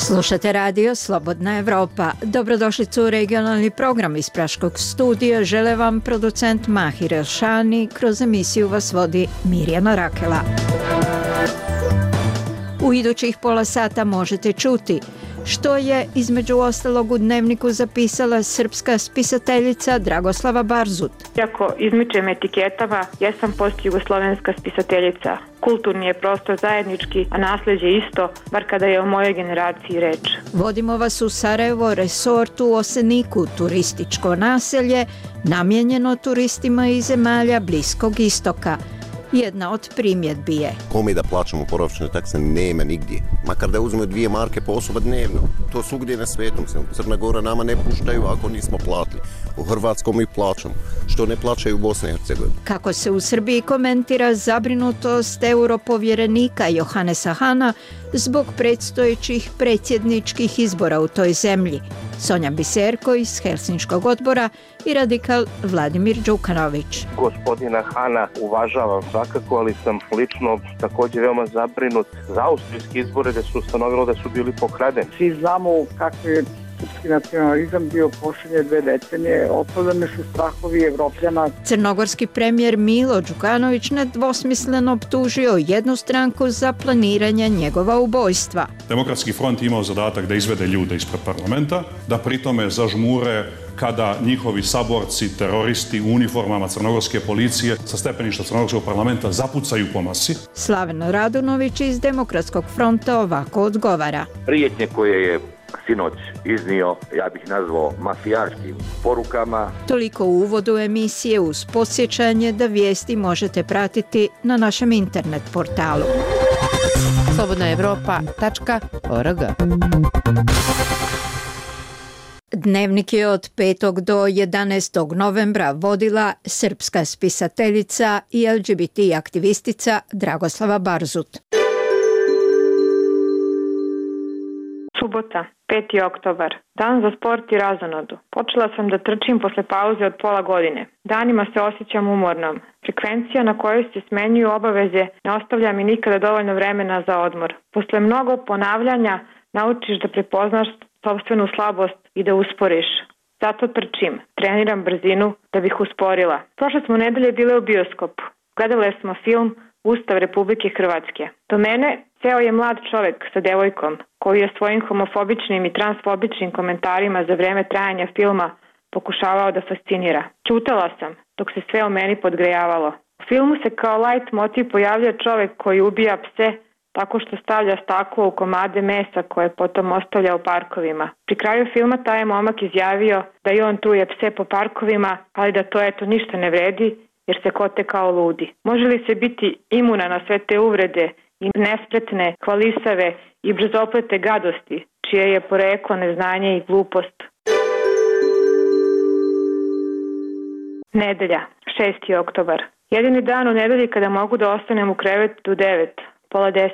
Slušate radio Slobodna Evropa. Dobrodošlicu u regionalni program iz Praškog studija. Žele vam producent Mahir Elšani. Kroz emisiju vas vodi Mirjana Rakela. U idućih pola sata možete čuti što je između ostalog u dnevniku zapisala srpska spisateljica Dragoslava Barzut. Iako izmičem etiketama, jesam postjugoslovenska spisateljica. Kulturni je prostor zajednički, a nasljeđe isto, bar kada je o mojoj generaciji reč. Vodimo vas u Sarajevo, resort u Oseniku, turističko naselje, namijenjeno turistima iz zemalja Bliskog istoka. Jedna od primjedbi je: kome da plaćamo boravišne takse nema nigdje. Makar da uzmemo 2 marke po osoba dnevno. To svugdje na svetom. Crna Gora nama ne puštaju ako nismo platili. U Hrvatskom mi plaćamo. Što ne plaćaju u Bosni i Hercegovini. Kako se u Srbiji komentira zabrinutost europovjerenika Johanesa Hana zbog predstojećih predsjedničkih izbora u toj zemlji. Sonja Biserko iz Helsinškog odbora i radikal Vladimir Đukanović. Gospodina Hana uvažavam svakako, ali sam lično također veoma zabrinut za austrijski izbore gdje su ustanovilo da su bili pokradeni. Svi znamo kako je srpski nacionalizam bio posljednje 2 decenije, opravdani su strahovi Evropljana. Crnogorski premijer Milo Đukanović nedvosmisleno optužio jednu stranku za planiranje njegova ubojstva. Demokratski front imao zadatak da izvede ljude ispred parlamenta, da pritome zažmure kada njihovi saborci, teroristi u uniformama crnogorske policije sa stepeništa crnogorskog parlamenta zapucaju po masi. Slaven Radunović iz Demokratskog fronta ovako odgovara. Prijetnje koje je sinoć iznio, ja bih nazvao mafijaškim porukama. Toliko u uvodu emisije, uz podsjećanje da vijesti možete pratiti na našem internet portalu slobodnaevropa.org. Dnevnik je od 5. do 11. novembra vodila srpska spisateljica i LGBT aktivistica Dragoslava Barzut. Subota, 5. oktobar. Dan za sport i razonodu. Počela sam da trčim posle pauze od pola godine. Danima se osjećam umornom. Frekvencija na kojoj se smenjuju obaveze ne ostavlja mi nikada dovoljno vremena za odmor. Posle mnogo ponavljanja naučiš da prepoznaš sopstvenu slabost i da usporiš. Zato trčim, treniram brzinu da bih usporila. Prošle smo nedelje bile u bioskopu. Gledale smo film Ustav Republike Hrvatske. Do mene seo je mlad čovek sa devojkom koji je svojim homofobičnim i transfobičnim komentarima za vreme trajanja filma pokušavao da fascinira. Ćutala sam dok se sve o meni podgrejavalo. U filmu se kao light motiv pojavlja čovek koji ubija pse tako što stavlja staklo u komade mesa koje potom ostavlja u parkovima. Pri kraju filma taj je momak izjavio da i on truje pse po parkovima, ali da to eto ništa ne vredi jer se kote kao ludi. Može li se biti imuna na sve te uvrede i nespretne, hvalisave i brzoplete gadosti, čije je poreklo neznanje i glupost? Nedelja, 6. oktobar. Jedini dan u nedelji kada mogu da ostanem u krevetu do 9, pola 10.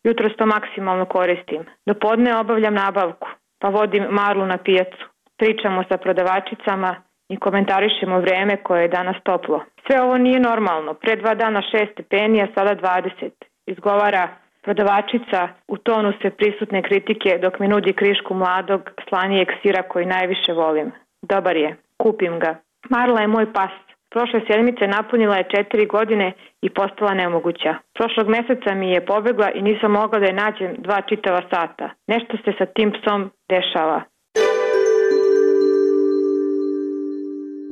Jutros to maksimalno koristim. Do podne obavljam nabavku, pa vodim Marlu na pijacu. Pričamo sa prodavačicama i komentarišemo vreme koje je danas toplo. Sve ovo nije normalno. Pre 2 dana 6 stepeni, a sada 20. Izgovara prodavačica u tonu sve prisutne kritike dok mi nudi krišku mladog, slanijeg sira koji najviše volim. Dobar je. Kupim ga. Marla je moj pas. Prošle sedmice napunila je 4 godine i postala nemoguća. Prošlog meseca mi je pobegla i nisam mogla da je nađem 2 čitava sata. Nešto se sa tim psom dešava.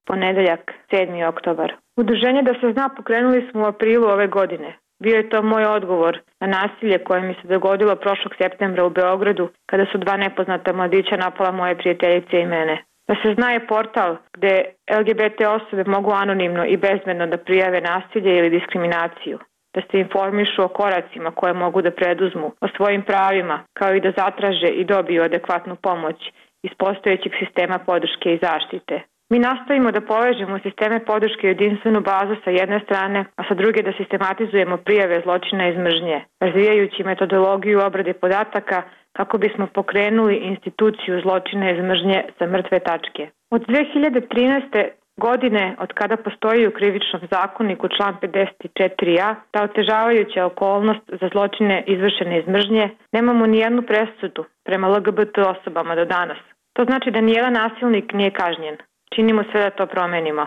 Ponedeljak, 7. oktobar. Udruženje Da se zna pokrenuli smo u aprilu ove godine. Bio je to moj odgovor na nasilje koje mi se dogodilo prošlog septembra u Beogradu kada su 2 nepoznata mladića napala moje prijateljice i mene. Da se zna je portal gde LGBT osobe mogu anonimno i bezbedno da prijave nasilje ili diskriminaciju, da se informišu o koracima koje mogu da preduzmu, o svojim pravima, kao i da zatraže i dobiju adekvatnu pomoć iz postojećeg sistema podrške i zaštite. Mi nastavimo da povežemo sisteme podrške i jedinstvenu bazu sa jedne strane, a sa druge da sistematizujemo prijave zločina iz mržnje, razvijajući metodologiju obrade podataka kako bismo pokrenuli instituciju zločina iz mržnje sa mrtve tačke. Od 2013. Godine od kada postoji u krivičnom zakoniku član 54a, ta otežavajuća okolnost za zločine izvršene iz mržnje, nemamo ni jednu presudu prema LGBT osobama do danas. To znači da nijedan nasilnik nije kažnjen. Činimo sve da to promenimo.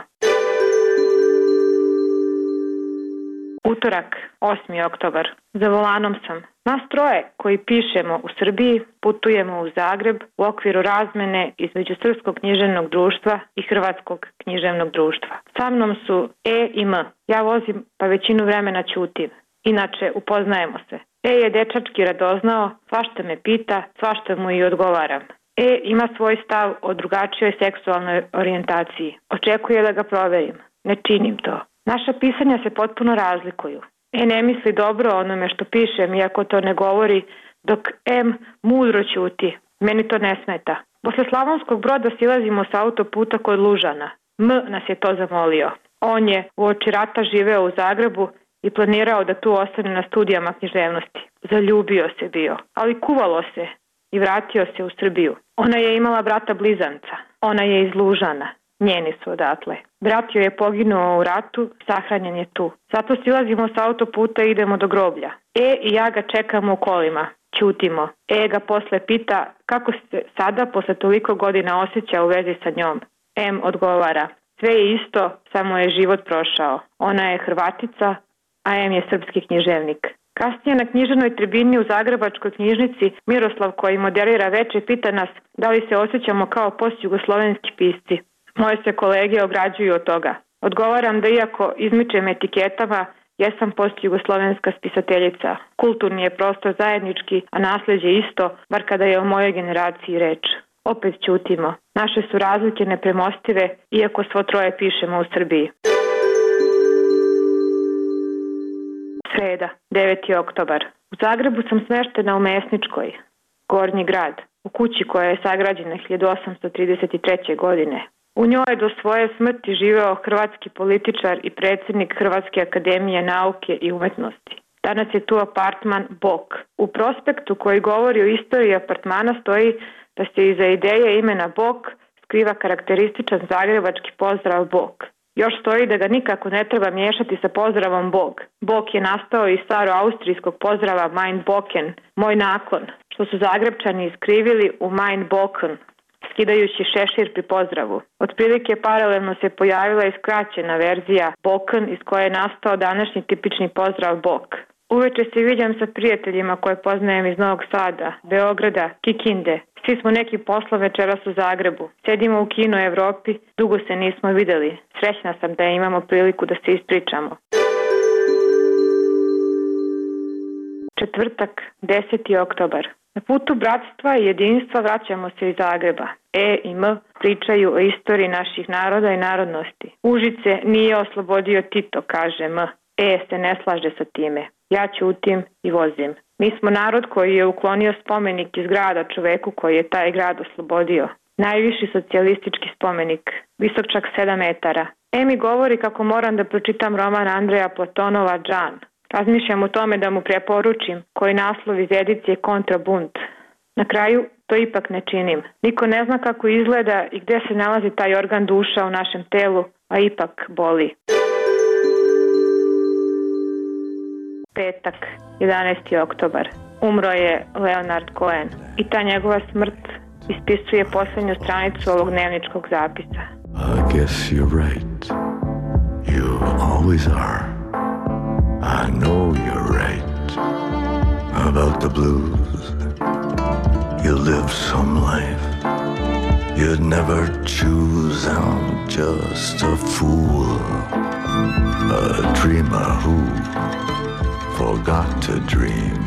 Utorak, 8. oktobar. Za volanom sam. Nas troje koji pišemo u Srbiji putujemo u Zagreb u okviru razmene između Srpskog književnog društva i Hrvatskog književnog društva. Sa mnom su E i M. Ja vozim pa većinu vremena ćutim. Inače, upoznajemo se. E je dečački radoznao, svašta me pita, svašta mu i odgovaram. E ima svoj stav o drugačijoj seksualnoj orijentaciji. Očekuje da ga proverim. Ne činim to. Naša pisanja se potpuno razlikuju. E ne misli dobro o onome što pišem, iako to ne govori, dok M mudro ćuti. Meni to ne smeta. Posle Slavonskog Broda silazimo sa autoputa kod Lužana. M nas je to zamolio. On je uoči rata živeo u Zagrebu i planirao da tu ostane na studijama književnosti. Zaljubio se bio, ali kuvalo se i vratio se u Srbiju. Ona je imala brata blizanca. Ona je iz Lužana. Njeni su odatle. Brat joj je poginuo u ratu, sahranjen je tu. Zato silazimo sa autoputa i idemo do groblja. E i ja ga čekamo u kolima. Ćutimo. E ga posle pita kako se sada posle toliko godina osjeća u vezi sa njom. M odgovara. Sve je isto, samo je život prošao. Ona je Hrvatica, a M je srpski književnik. Kasnije na književnoj tribini u Zagrebačkoj knjižnici Miroslav, koji moderira veče, pita nas da li se osjećamo kao postjugoslovenski pisci. Moje se kolege ograđuju od toga. Odgovaram da iako izmičem etiketama, jesam postjugoslovenska spisateljica. Kulturni je prostor zajednički, a nasleđe isto, bar kada je o mojoj generaciji reč. Opet ćutimo. Naše su razlike nepremostive, iako svo troje pišemo u Srbiji. Sreda, 9. oktobar. U Zagrebu sam smeštena u Mesničkoj, Gornji grad, u kući koja je sagrađena 1833. godine. U njoj do svoje smrti živeo hrvatski političar i predsjednik Hrvatske akademije nauke i umetnosti. Danas je tu apartman Bok. U prospektu koji govori o istoriji apartmana stoji da se iza ideje imena Bok skriva karakterističan zagrebački pozdrav Bog. Još stoji da ga nikako ne treba miješati sa pozdravom Bog. Bog je nastao iz staro-austrijskog pozdrava Mein Boken, moj nakon, što su Zagrebčani iskrivili u Mein Boken, skidajući šešir pri pozdravu. Otprilike paralelno se pojavila i skraćena verzija Boken, iz koje je nastao današnji tipični pozdrav Bog. Uveče se viđam sa prijateljima koje poznajem iz Novog Sada, Beograda, Kikinde. Svi smo neki poslom večeras u Zagrebu. Sedimo u Kino Evropi, dugo se nismo videli. Srećna sam da imamo priliku da se ispričamo. Četvrtak, 10. oktobar. Na putu bratstva i jedinstva vraćamo se iz Zagreba. E i M pričaju o istoriji naših naroda i narodnosti. Užice nije oslobodio Tito, kaže M. E se ne slaže sa time. Ja ćutim i vozim. Mi smo narod koji je uklonio spomenik iz grada čoveku koji je taj grad oslobodio. Najviši socijalistički spomenik, visok čak 7 metara. E mi govori kako moram da pročitam roman Andreja Platonova Džan. Razmišljam o tome da mu preporučim koji naslov iz edicije Kontrabunt. Na kraju to ipak ne činim. Niko ne zna kako izgleda i gde se nalazi taj organ duša u našem telu, a ipak boli. Petak, 11. oktobar. Umro je Leonard Cohen i ta njegova smrt ispisuje posljednju stranicu ovog dnevničkog zapisa. I guess you're right. You always are. I know you're right about the blues. You live some life you'd never choose. I'm just a fool, a dreamer who forgot to dream.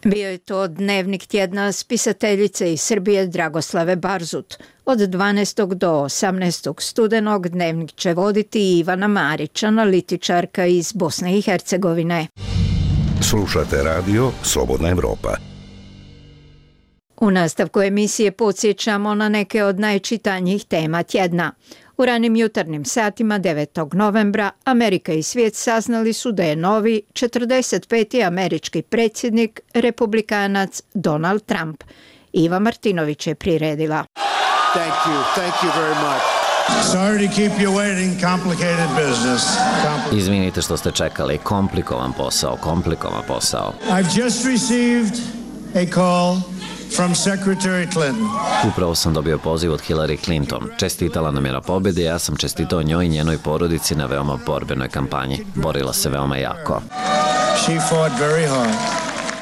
Bio je to dnevnik tjedna spisateljice iz Srbije Dragoslave Barzut. Od 12. do 18. studenog dnevnik će voditi Ivana Marić, analitičarka iz Bosne i Hercegovine. Slušate radio Slobodna Evropa. U nastavku emisije podsjećamo na neke od najčitanjih tema tjedna. U ranim jutarnjim satima 9. novembra Amerika i svijet saznali su da je novi 45. američki predsjednik republikanac Donald Trump. Iva Martinović je priredila. Thank you very much. Sorry to keep you waiting, complicated business. Izvinite što ste čekali, komplikovan posao. I've just received a call from Secretary Clinton. Upravo sam dobio poziv od Hillary Clinton. Čestitala nam je na pobjedi, ja sam čestitao njoj i njenoj porodici na veoma borbenoj kampanji. Borila se veoma jako. She fought very hard.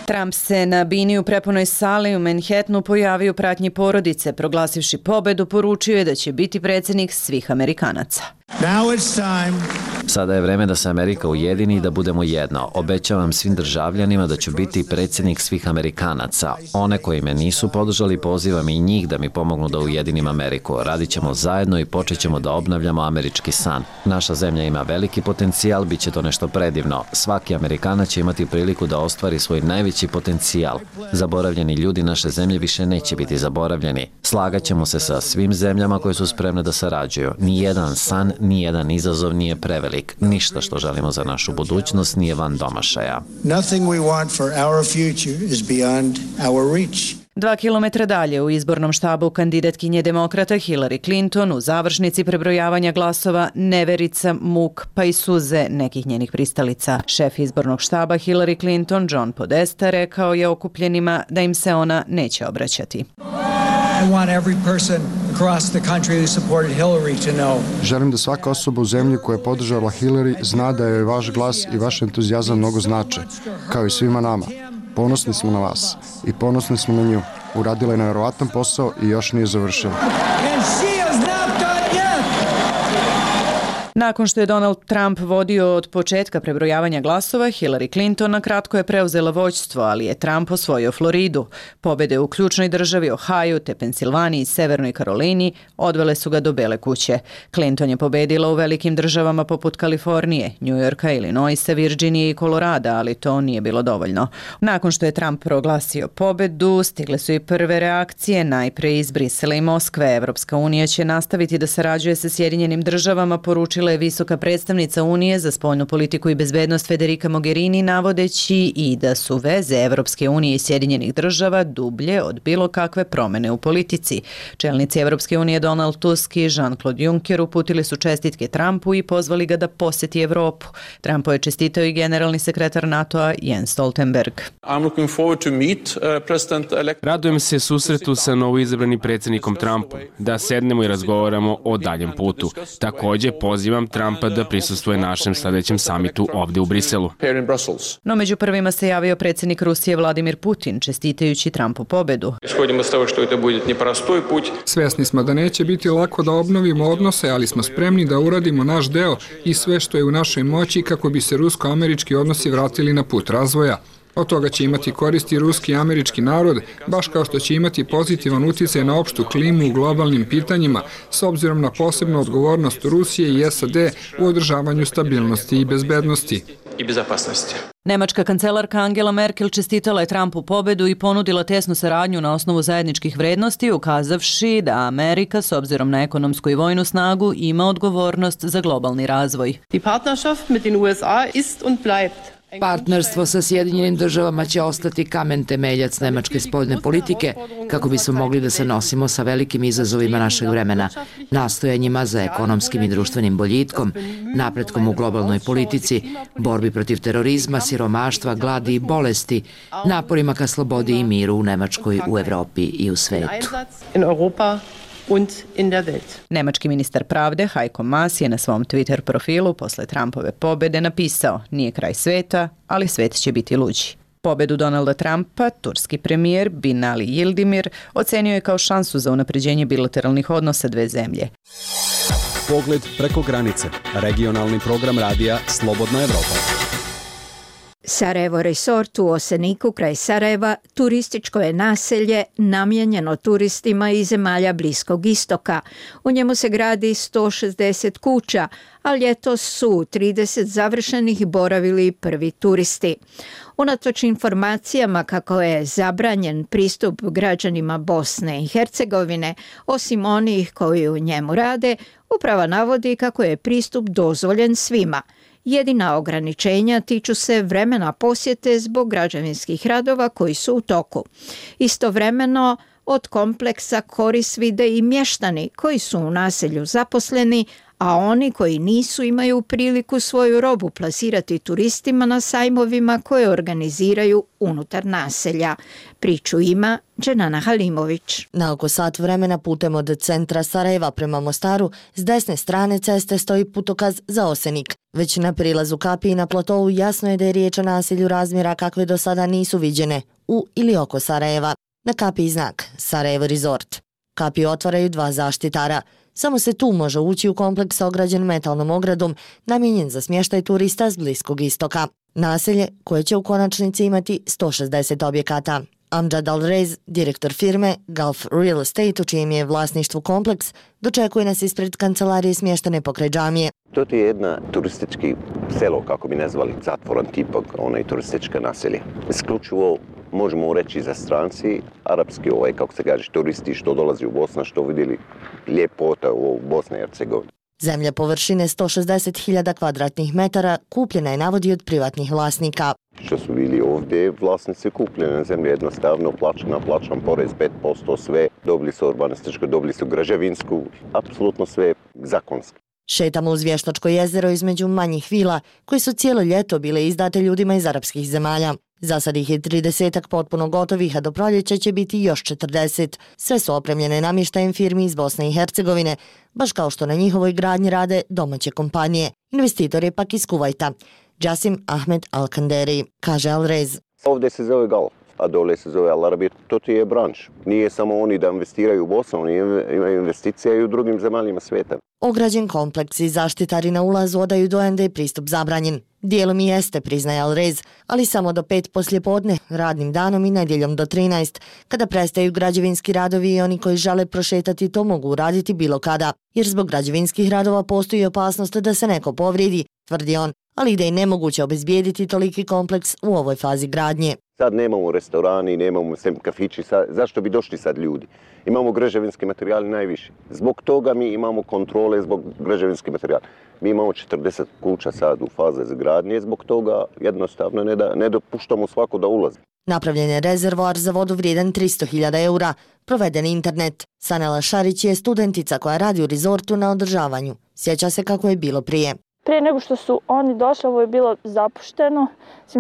Trump se na bini u prepunoj sali u Manhattanu pojavio u pratnji porodice. Proglasivši pobedu, poručio je da će biti predsjednik svih Amerikanaca. Now it's time. Sada je vreme da se Amerika ujedini i da budemo jedno. Obećavam svim državljanima da ću biti predsjednik svih Amerikanaca. One koji me nisu podržali, pozivam i njih da mi pomognu da ujedinim Ameriku. Radit ćemo zajedno i počet ćemo da obnavljamo američki san. Naša zemlja ima veliki potencijal, bit će to nešto predivno. Svaki Amerikanac će imati priliku da ostvari svoj najveći potencijal. Zaboravljeni ljudi naše zemlje više neće biti zaboravljeni. Slagat ćemo se sa svim zemljama koje su spremne da sarađuju. Nijedan san, nijedan izazov nije prevelik. Ništa što želimo za našu budućnost nije van domašaja. Nothing we want for our future is beyond our reach. 2 kilometra dalje u izbornom štabu kandidatkinje demokrata Hillary Clinton u završnici prebrojavanja glasova neverica, muk pa i suze nekih njenih pristalica. Šef izbornog štaba Hillary Clinton, John Podesta, rekao je okupljenima da im se ona neće obraćati. Želim da svaka osoba u zemlji koja je podržala Hillary zna da joj vaš glas i vaš entuzijazam mnogo znače, kao i svima nama. Ponosni smo na vas i ponosni smo na nju. Uradila je nevjerovatan posao i još nije završila. Nakon što je Donald Trump vodio od početka prebrojavanja glasova, Hillary Clinton na kratko je preuzela vođstvo, ali je Trump osvojio Floridu. Pobjede u ključnoj državi Ohio, te Pensilvaniji i Severnoj Karolini odvele su ga do Bele kuće. Clinton je pobjedila u velikim državama poput Kalifornije, New Yorka, Illinoisa, Virginije i Kolorada, ali to nije bilo dovoljno. Nakon što je Trump proglasio pobjedu, stigle su i prve reakcije, najpre iz Brisela i Moskve. Evropska unija će nastaviti da sarađuje sa Sjedinjenim državama, poručila je visoka predstavnica Unije za spoljnu politiku i bezbednost Federica Mogherini, navodeći i da su veze Evropske unije i Sjedinjenih država dublje od bilo kakve promjene u politici. Čelnici Evropske unije Donald Tusk i Jean-Claude Juncker uputili su čestitke Trumpu i pozvali ga da posjeti Evropu. Trumpu je čestitao i generalni sekretar NATO-a Jens Stoltenberg. Radujem se susretu sa novoizabranim predsjednikom Trumpom, da sednemo i razgovaramo o daljem putu. Također pozivam Trumpa da prisustvuje našem sljedećem samitu ovdje u Briselu. No među prvima se javio predsjednik Rusije Vladimir Putin, čestitajući Trumpu pobedu. Svjesni smo da neće biti lako da obnovimo odnose, ali smo spremni da uradimo naš deo i sve što je u našoj moći kako bi se rusko-američki odnosi vratili na put razvoja. Od toga će imati koristi ruski i američki narod, baš kao što će imati pozitivan utjecaj na opštu klimu u globalnim pitanjima, s obzirom na posebnu odgovornost Rusije i SAD u održavanju stabilnosti i bezbednosti. Nemačka kancelarka Angela Merkel čestitala je Trumpu pobedu i ponudila tesnu saradnju na osnovu zajedničkih vrednosti, ukazavši da Amerika, s obzirom na ekonomsku i vojnu snagu, ima odgovornost za globalni razvoj. Partnerstvo sa Sjedinjenim državama će ostati kamen temeljac nemačke spoljne politike kako bismo mogli da se nosimo sa velikim izazovima našeg vremena, nastojanjima za ekonomskim i društvenim boljitkom, napretkom u globalnoj politici, borbi protiv terorizma, siromaštva, gladi i bolesti, naporima ka slobodi i miru u Nemačkoj, u Evropi i u svetu. Nemački ministar pravde Heiko Maas je na svom Twitter profilu posle Trumpove pobjede napisao: nije kraj sveta, ali svet će biti luđi. Pobedu Donalda Trumpa, turski premijer Binali Yildirim ocenio je kao šansu za unapređenje bilateralnih odnosa dve zemlje. Pogled preko granice. Regionalni program radija Slobodna Evropa. Sarajevo Resort u Oseniku kraj Sarajeva turističko je naselje namijenjeno turistima iz zemalja Bliskog istoka. U njemu se gradi 160 kuća, a ljetos su 30 završenih boravili prvi turisti. Unatoč informacijama kako je zabranjen pristup građanima Bosne i Hercegovine, osim onih koji u njemu rade, uprava navodi kako je pristup dozvoljen svima. Jedina ograničenja tiču se vremena posjete zbog građevinskih radova koji su u toku. Istovremeno, Od kompleksa korist vide i mještani koji su u naselju zaposleni, a oni koji nisu imaju priliku svoju robu plasirati turistima na sajmovima koje organiziraju unutar naselja. Priču ima Dženana Halimović. Na oko sat vremena putem od centra Sarajeva prema Mostaru s desne strane ceste stoji putokaz za Osenik. Već na prilazu Kapiji na platovu jasno je da je riječ o naselju razmjera kakve do sada nisu viđene u ili oko Sarajeva. Na Kapiji znak Sarajevo Resort. Kapiju otvaraju 2 zaštitara. Samo se tu može ući u kompleks ograđen metalnom ogradom namijenjen za smještaj turista s Bliskog istoka. Naselje koje će u konačnici imati 160 objekata. Amjad Al-Rez, direktor firme Gulf Real Estate, u čijem je vlasništvu kompleks, dočekuje nas ispred kancelarije smještene pokraj džamije. To je jedna turistički selo, kako bi nazvali, zatvoran tipak, onaj turistička naselje. Isključivo možemo reći za stranci, arapski, kako se kaže, turisti što dolazi u Bosnu, što vidjeli ljepota u Bosni i Hercegovini. Zemlja površine 160.000 kvadratnih metara kupljena je, navodi, od privatnih vlasnika. Što su bili ovdje, vlasnici kupljene na zemlju jednostavno, plaćam porez 5%, sve, dobili su urbanističku, dobili su građevinsku, apsolutno sve zakonski. Šetamo uz Vještačko jezero između manjih vila, koje su cijelo ljeto bile izdate ljudima iz arapskih zemalja. Za sad ih je 30 potpuno gotovih, a do proljeća će biti još 40. Sve su opremljene namještajem firmi iz Bosne i Hercegovine, baš kao što na njihovoj gradnji rade domaće kompanije. Investitor je pak iz Kuvajta. Jasim Ahmed Al-Kanderi, kaže Al-Rez. Ovdje se zove Gulf, a dole se zove Al-Arabija. To ti je branč. Nije samo oni da investiraju u Bosnu, oni imaju investicije i u drugim zemaljima svijeta. Ograđen kompleks i zaštitari na ulazu odaju dojam da je pristup zabranjen. Dijelom i jeste, priznaje Al-Rez, ali samo do 5 poslijepodne, radnim danom i nedjeljom do 13. Kada prestaju građevinski radovi i oni koji žele prošetati to mogu uraditi bilo kada, jer zbog građevinskih radova postoji opasnost da se neko povrijedi, tvrdi on, ali da je nemoguće obezbijediti toliki kompleks u ovoj fazi gradnje. Sad nemamo restorani, nemamo sem kafići, zašto bi došli sad ljudi? Imamo građevinski materijal najviše. Zbog toga mi imamo kontrole zbog građevinski materijal. Mi imamo 40 kuća sad u faze zgradnje, zbog toga jednostavno ne dopuštamo svako da ulazi. Napravljen je rezervoar za vodu vrijedan 300.000 eura, proveden internet. Sanela Šarić je studentica koja radi u rezortu na održavanju. Sjeća se kako je bilo prije. Prije nego što su oni došli, ovo je bilo zapušteno.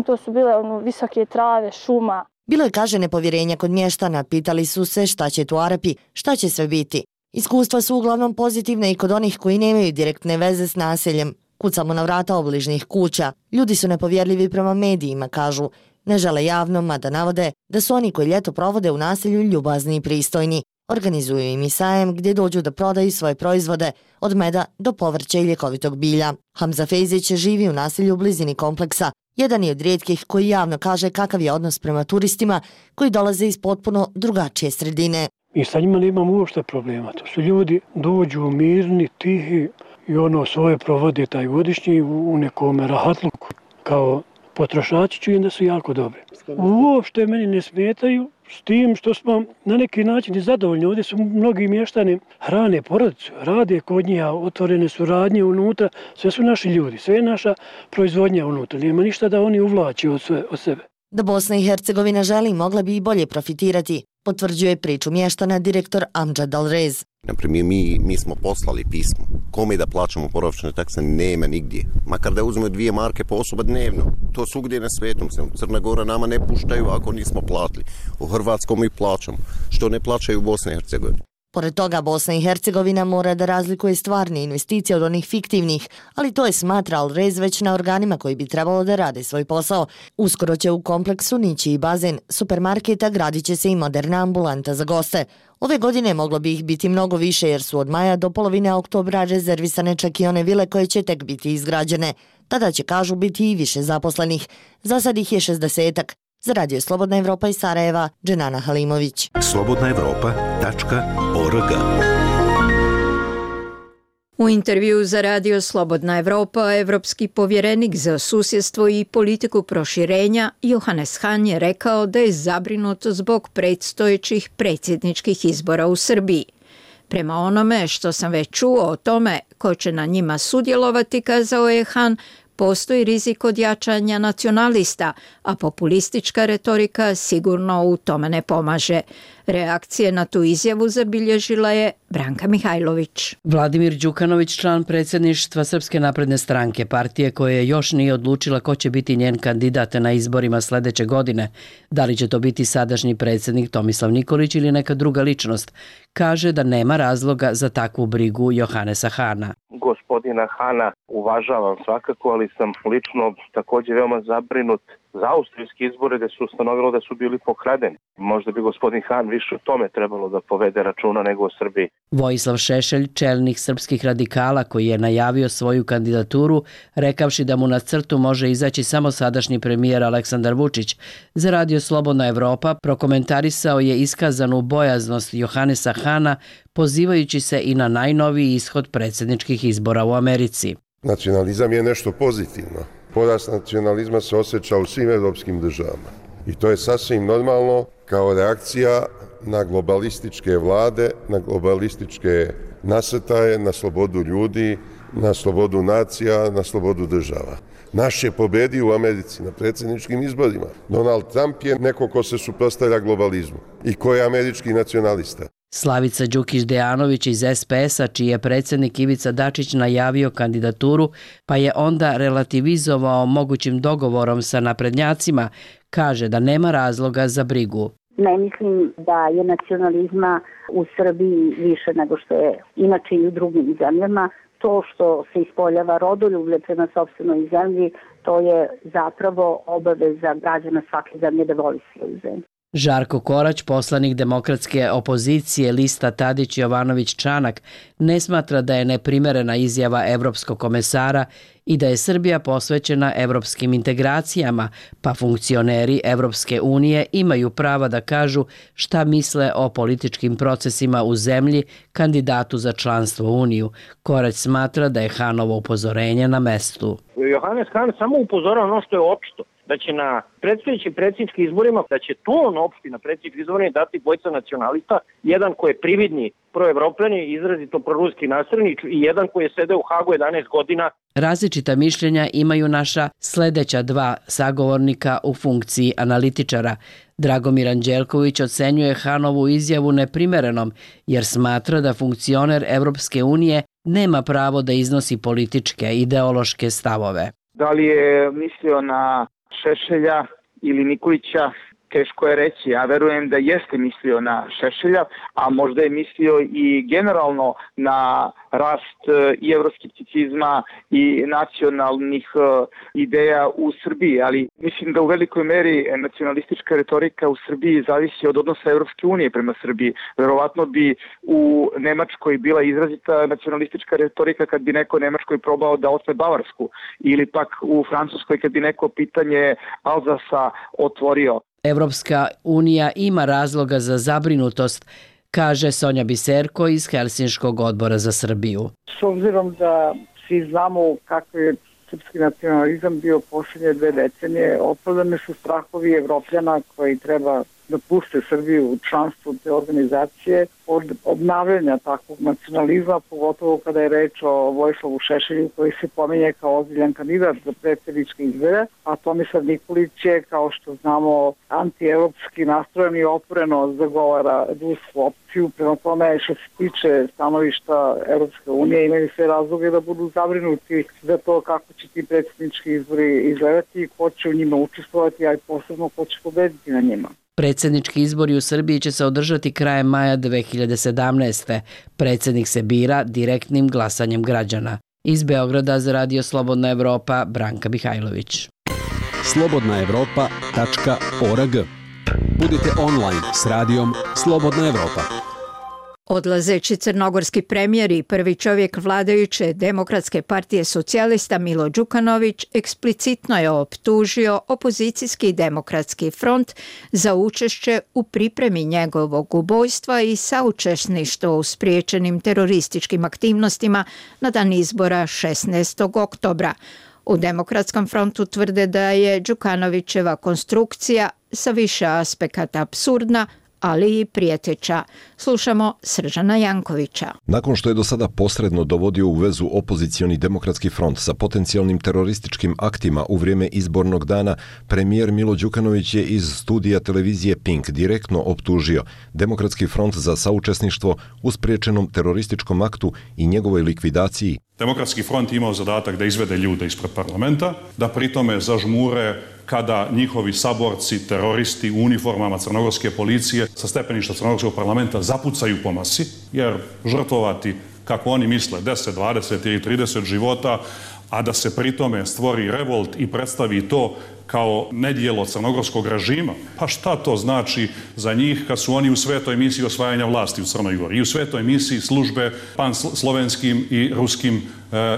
To su bile visoke trave, šuma. Bilo je, kaže, nepovjerenja kod mještana. Pitali su se šta će tu Arapi, šta će sve biti. Iskustva su uglavnom pozitivne i kod onih koji nemaju direktne veze s naseljem. Kucamo na vrata obližnjih kuća. Ljudi su nepovjerljivi prema medijima, kažu. Ne žele javno, mada navode da su oni koji ljeto provode u naselju ljubazni i pristojni. Organizuju im i sajem gdje dođu da prodaju svoje proizvode, od meda do povrća i ljekovitog bilja. Hamza Fejzić živi u naselju u blizini kompleksa. Jedan je od rijetkih koji javno kaže kakav je odnos prema turistima koji dolaze iz potpuno drugačije sredine. Mi sa njima nemamo uopšte problema. To su ljudi, dođu mirni, tihi i svoje provode taj godišnji u nekom rahatluku. Kao potrošači čujem da su jako dobri. Uopšte meni ne smetaju, s tim što smo na neki način i zadovoljni. Ovdje su mnogi mještani, hrane porodicu, rade kod njih, otvorene su radnje unutra, sve su naši ljudi, sve je naša proizvodnja unutra. Nema ništa da oni uvlači od sebe. Da Bosna i Hercegovina želi, mogla bi i bolje profitirati, potvrđuje priču mještana direktor Amjad Al-Rez. Naprimjer, mi smo poslali pismo. Kome da plaćamo boravišne takse nema nigdje. Makar da uzmemo 2 marke po osoba dnevno. To svugdje na svijetu. Crna Gora nama ne puštaju ako nismo platili. U Hrvatskom mi plaćamo. Što ne plaćaju u Bosni i Hercegovini. Pored toga, Bosna i Hercegovina mora da razlikuje stvarne investicije od onih fiktivnih, ali to je, smatra Al-Rez, već na organima koji bi trebalo da rade svoj posao. Uskoro će u kompleksu nići i bazen, supermarketa, gradit će se i moderna ambulanta za goste. Ove godine moglo bi ih biti mnogo više jer su od maja do polovine oktobra rezervisane čak i one vile koje će tek biti izgrađene. Tada će, kažu, biti i više zaposlenih. Za sad ih je 60-ak. Za Radio Slobodna Evropa iz Sarajeva, Dženana Halimović. slobodnaevropa.org. U intervju za Radio Slobodna Evropa, evropski povjerenik za susjedstvo i politiku proširenja Johannes Hahn je rekao da je zabrinut zbog predstojećih predsjedničkih izbora u Srbiji. Prema onome što sam već čuo o tome ko će na njima sudjelovati, kazao je Hahn, postoji rizik od jačanja nacionalista, a populistička retorika sigurno u tome ne pomaže. Reakcije na tu izjavu zabilježila je Branka Mihajlović. Vladimir Đukanović, član predsjedništva Srpske napredne stranke, partije koje još nije odlučila ko će biti njen kandidat na izborima sledeće godine, da li će to biti sadašnji predsjednik Tomislav Nikolić ili neka druga ličnost, kaže da nema razloga za takvu brigu Johanesa Hana. Gospodina Hana uvažavam svakako, ali sam lično također veoma zabrinut za austrijski izbore gde se ustanovilo da su bili pokradeni. Možda bi gospodin Han više o tome trebalo da povede računa nego o Srbiji. Vojislav Šešelj, čelnik srpskih radikala koji je najavio svoju kandidaturu, rekavši da mu na crtu može izaći samo sadašnji premijer Aleksandar Vučić, za Radio Slobodna Evropa prokomentarisao je iskazanu bojaznost Johanesa Hana, pozivajući se i na najnoviji ishod predsjedničkih izbora u Americi. Nacionalizam je nešto pozitivno. Porast nacionalizma se osjeća u svim evropskim državama. I to je sasvim normalno kao reakcija na globalističke vlade, na globalističke nasrtaje, na slobodu ljudi, na slobodu nacija, na slobodu država. Naš je pobedio u Americi na predsjedničkim izborima. Donald Trump je neko ko se suprotstavlja globalizmu i ko je američki nacionalista. Slavica Đukić-Dejanović iz SPS-a, čiji je predsjednik Ivica Dačić najavio kandidaturu, pa je onda relativizovao mogućim dogovorom sa naprednjacima, kaže da nema razloga za brigu. Ne mislim da je nacionalizma u Srbiji više nego što je inače i u drugim zemljama. To što se ispoljava rodoljublje prema sopstvenoj zemlji, to je zapravo obaveza građana svake zemlje da voli svoju zemlju. Žarko Korać, poslanik demokratske opozicije lista Tadić-Jovanović-Čanak, ne smatra da je neprimerena izjava evropskog komesara i da je Srbija posvećena evropskim integracijama, pa funkcioneri Evropske unije imaju prava da kažu šta misle o političkim procesima u zemlji kandidatu za članstvo u Uniju. Korać smatra da je Hanovo upozorenje na mestu. Johannes Han samo upozorava ono što je opšto, da će na predstojećim predsjedničkim izborima, da će ton opšti na predsjedničkim izborima dati dvojica nacionalista, jedan koji je prividni proevropljani, izrazito proruski nasrednik i jedan koji je sedeo u Hagu 11 godina. Različita mišljenja imaju naša sledeća dva sagovornika u funkciji analitičara. Dragomir Anđelković ocenjuje Hanovu izjavu neprimerenom, jer smatra da funkcioner Evropske unije nema pravo da iznosi političke, ideološke stavove. Da li je mislio na Šešelja ili Nikolića, teško je reći. Ja verujem da jeste mislio na Šešelja, a možda je mislio i generalno na rast i evroskepticizma i nacionalnih ideja u Srbiji, ali mislim da u velikoj meri nacionalistička retorika u Srbiji zavisi od odnosa Evropske unije prema Srbiji. Verovatno bi u Nemačkoj bila izrazita nacionalistička retorika kad bi neko Nemačkoj probao da otme Bavarsku, ili pak u Francuskoj kad bi neko pitanje Alzasa otvorio. Evropska unija ima razloga za zabrinutost, kaže Sonja Biserko iz Helsinškog odbora za Srbiju. S obzirom da svi znamo kako je srpski nacionalizam bio posljednje 2 decenije, opravdani su strahovi Evropljana koji treba da puste Srbiju u članstvu te organizacije od obnavljanja takvog nacionalizma, pogotovo kada je reč o Vojislavu Šešelju koji se pominje kao ozbiljan kandidat za predsjedničke izbore, a Tomislav Nikolić je, kao što znamo, antievropski nastrojen i otvoreno zagovara rusku opciju. Prema tome, što se tiče stanovišta Evropske unije, imaju sve razloge da budu zabrinuti za to kako će ti predsjednički izbori izgledati, ko će u njima učestvovati, a i posebno ko će pobediti na njima. Predsjednički izbori u Srbiji će se održati krajem maja 2017. Predsjednik se bira direktnim glasanjem građana. Iz Beograda za Radio Slobodna Evropa, Branka Mihajlović. slobodnaevropa.org. Budite online s radijom Slobodna Evropa. Odlazeći crnogorski premijer i prvi čovjek vladajuće Demokratske partije socijalista Milo Đukanović eksplicitno je optužio opozicijski Demokratski front za učešće u pripremi njegovog ubojstva i saučesništvo u spriječenim terorističkim aktivnostima na dan izbora 16. oktobra. U Demokratskom frontu tvrde da je Đukanovićeva konstrukcija sa više aspekata apsurdna, ali i prijeteća. Slušamo Sržana Jankovića. Nakon što je do sada posredno dovodio u vezu opozicioni Demokratski front sa potencijalnim terorističkim aktima u vrijeme izbornog dana, premijer Milo Đukanović je iz studija televizije Pink direktno optužio Demokratski front za saučesništvo u spriječenom terorističkom aktu i njegovoj likvidaciji. Demokratski front imao zadatak da izvede ljude ispred parlamenta, da pritome zažmure kada njihovi saborci, teroristi u uniformama crnogorske policije sa stepeništa crnogorskog parlamenta zapucaju po masi, jer žrtvovati, kako oni misle, 10, 20 ili 30 života, a da se pritome stvori revolt i predstavi to kao nedjelo crnogorskog režima, pa šta to znači za njih kad su oni u svetoj misiji osvajanja vlasti u Crnoj Gori i u svetoj misiji službe panslovenskim i ruskim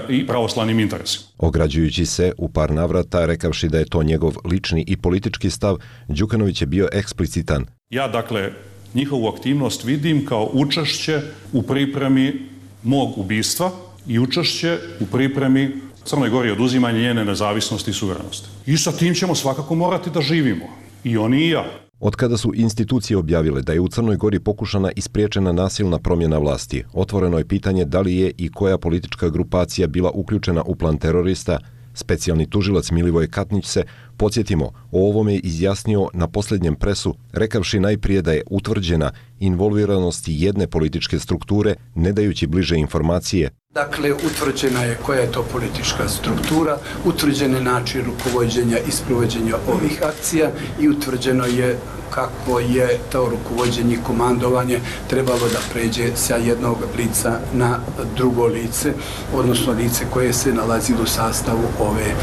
i pravoslavnim interesima. Ograđujući se u par navrata, rekavši da je to njegov lični i politički stav, Đukanović je bio eksplicitan. Ja, dakle, njihovu aktivnost vidim kao učešće u pripremi mog ubistva i učešće u pripremi Crnoj Gori oduzimanje njene nezavisnosti i suverenosti. I sa tim ćemo svakako morati da živimo. I oni i ja. Od kada su institucije objavile da je u Crnoj Gori pokušana i spriječena nasilna promjena vlasti, otvoreno je pitanje da li je i koja politička grupacija bila uključena u plan terorista. Specijalni tužilac Milivoj Katnić se, podsjetimo, o ovome izjasnio na posljednjem presu, rekavši najprije da je utvrđena involviranost jedne političke strukture, ne dajući bliže informacije. Dakle, utvrđena je koja je to politička struktura, utvrđen je način rukovođenja i sprovođenja ovih akcija i utvrđeno je kako je to rukovođenje i komandovanje trebalo da pređe sa jednog lica na drugo lice, odnosno lice koje se nalazi u sastavu ove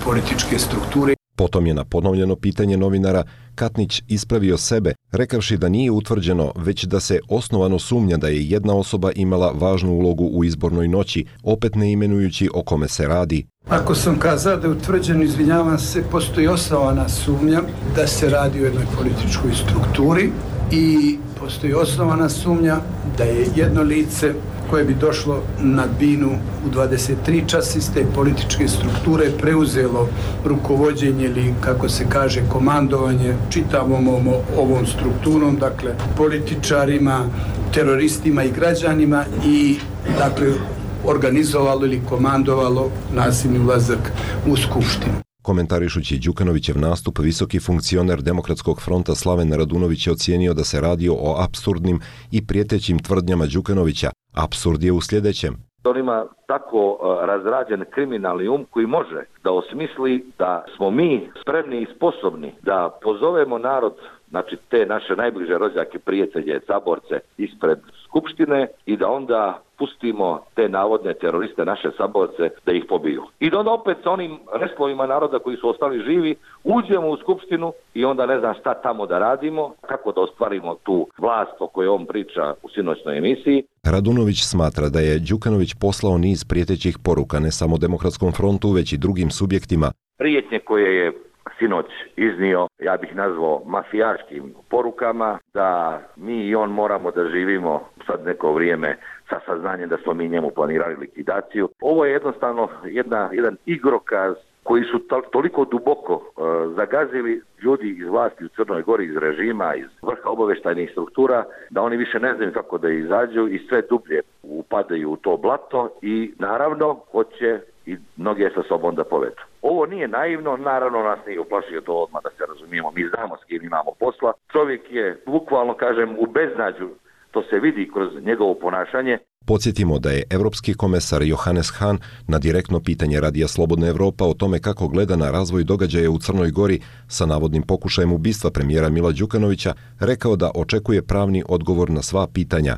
političke strukture. Potom je na ponovljeno pitanje novinara Katnić ispravio sebe, rekavši da nije utvrđeno, već da se osnovano sumnja da je jedna osoba imala važnu ulogu u izbornoj noći, opet ne imenujući o kome se radi. Ako sam kazao da je utvrđeno, izvinjavam se, postoji osnovana sumnja da se radi o jednoj političkoj strukturi i postoji osnovana sumnja da je jedno lice koje bi došlo na binu u 23 časa iz te političke strukture preuzelo rukovođenje ili, kako se kaže, komandovanje čitavom ovom strukturom, dakle političarima, teroristima i građanima i, dakle, organizovalo ili komandovalo nasilni ulazak u Skupštinu. Komentarišući Đukanovićev nastup, visoki funkcioner Demokratskog fronta Slaven Radunović je ocijenio da se radi o apsurdnim i prijetećim tvrdnjama Đukanovića. Apsurd je u sljedećem. On ima tako razrađen kriminalni koji može da osmisli da smo mi spremni i sposobni da pozovemo narod, znači te naše najbliže rođake, prijatelje, saborce ispred Skupštine i da onda pustimo te navodne teroriste, naše saborce, da ih pobiju. I da onda opet sa onim restlovima naroda koji su ostali živi, uđemo u Skupštinu i onda ne znam šta tamo da radimo, kako da ostvarimo tu vlast o kojoj on priča u sinoćnoj emisiji. Radunović smatra da je Đukanović poslao niz prijetećih poruka ne samo Demokratskom frontu, već i drugim subjektima. Prijetnje koje je sinoć iznio, ja bih nazvao mafijaškim porukama, da mi i on moramo da živimo sad neko vrijeme sa saznanjem da smo mi njemu planirali likvidaciju. Ovo je jednostavno jedan igrokaz koji su toliko duboko zagazili ljudi iz vlasti u Crnoj Gori, iz režima, iz vrha obavještajnih struktura, da oni više ne znaju kako da izađu i sve dublje upadaju u to blato i naravno hoće i mnoge sa sobom da povedu. Ovo nije naivno, naravno nas nije uplašio to odmah, da se razumijemo, mi znamo s kim imamo posla. Čovjek je bukvalno, kažem, u beznađu, to se vidi kroz njegovo ponašanje. Podsjetimo da je evropski komesar Johannes Hahn na direktno pitanje Radija Slobodna Evropa o tome kako gleda na razvoj događaja u Crnoj Gori sa navodnim pokušajem ubistva premijera Mila Đukanovića rekao da očekuje pravni odgovor na sva pitanja.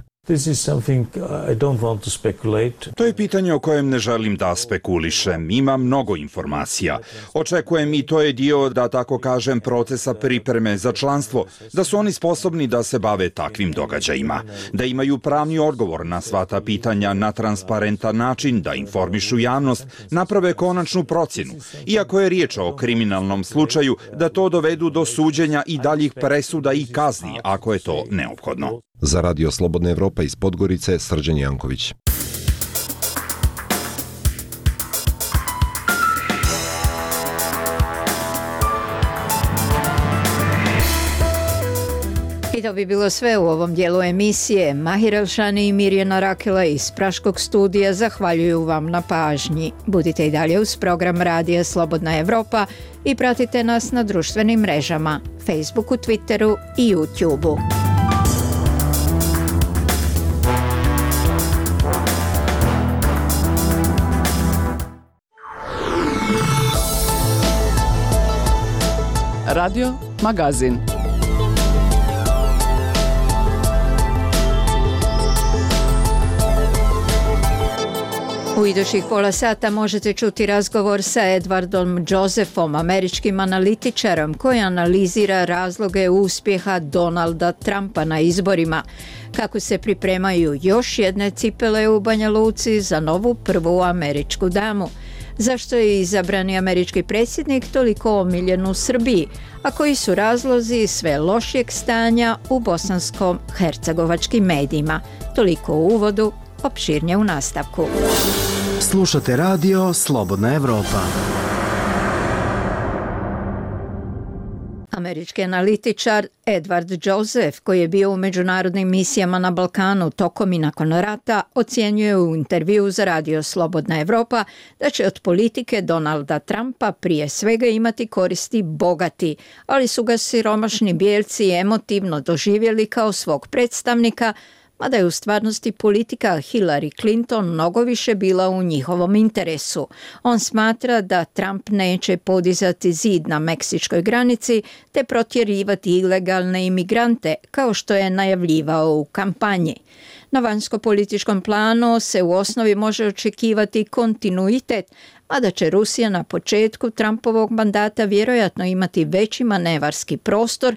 To je pitanje o kojem ne želim da spekulišem. Ima mnogo informacija. Očekujem i to je dio, da tako kažem, procesa pripreme za članstvo, da su oni sposobni da se bave takvim događajima, da imaju pravni odgovor na sva ta pitanja na transparentan način, da informišu javnost, naprave konačnu procjenu. Iako je riječ o kriminalnom slučaju, da to dovedu do suđenja i daljih presuda i kazni, ako je to neophodno. Za Radio Slobodna Evropa iz Podgorice, Srđan Janković. to bi bilo sve u ovom dijelu emisije. Mahir Elšani i Mirjana Rakela iz Praškog studija zahvaljuju vam na pažnji. Budite i dalje uz program Radija Slobodna Evropa i pratite nas na društvenim mrežama, Facebooku, Twitteru i YouTubeu. Radio Magazin. U idućih pola sata možete čuti razgovor sa Edwardom Josephom, američkim analitičarom koji analizira razloge uspjeha Donalda Trumpa na izborima, kako se pripremaju još jedne cipele u Banja Luci za novu prvu američku damu, zašto je izabrani američki predsjednik toliko omiljen u Srbiji, a koji su razlozi sve lošijeg stanja u bosansko-hercegovačkim medijima. Toliko u uvodu, opširnije u nastavku. Slušate radio Slobodna Evropa. Američki analitičar Edward Joseph, koji je bio u međunarodnim misijama na Balkanu tokom i nakon rata, ocjenjuje u intervjuu za radio Slobodna Evropa da će od politike Donalda Trumpa prije svega imati koristi bogati, ali su ga siromašni bijelci emotivno doživjeli kao svog predstavnika, mada je u stvarnosti politika Hillary Clinton mnogo više bila u njihovom interesu. On smatra da Trump neće podizati zid na meksičkoj granici te protjerivati ilegalne imigrante kao što je najavljivao u kampanji. Na vanjsko-političkom planu se u osnovi može očekivati kontinuitet, mada će Rusija na početku Trumpovog mandata vjerojatno imati veći manevarski prostor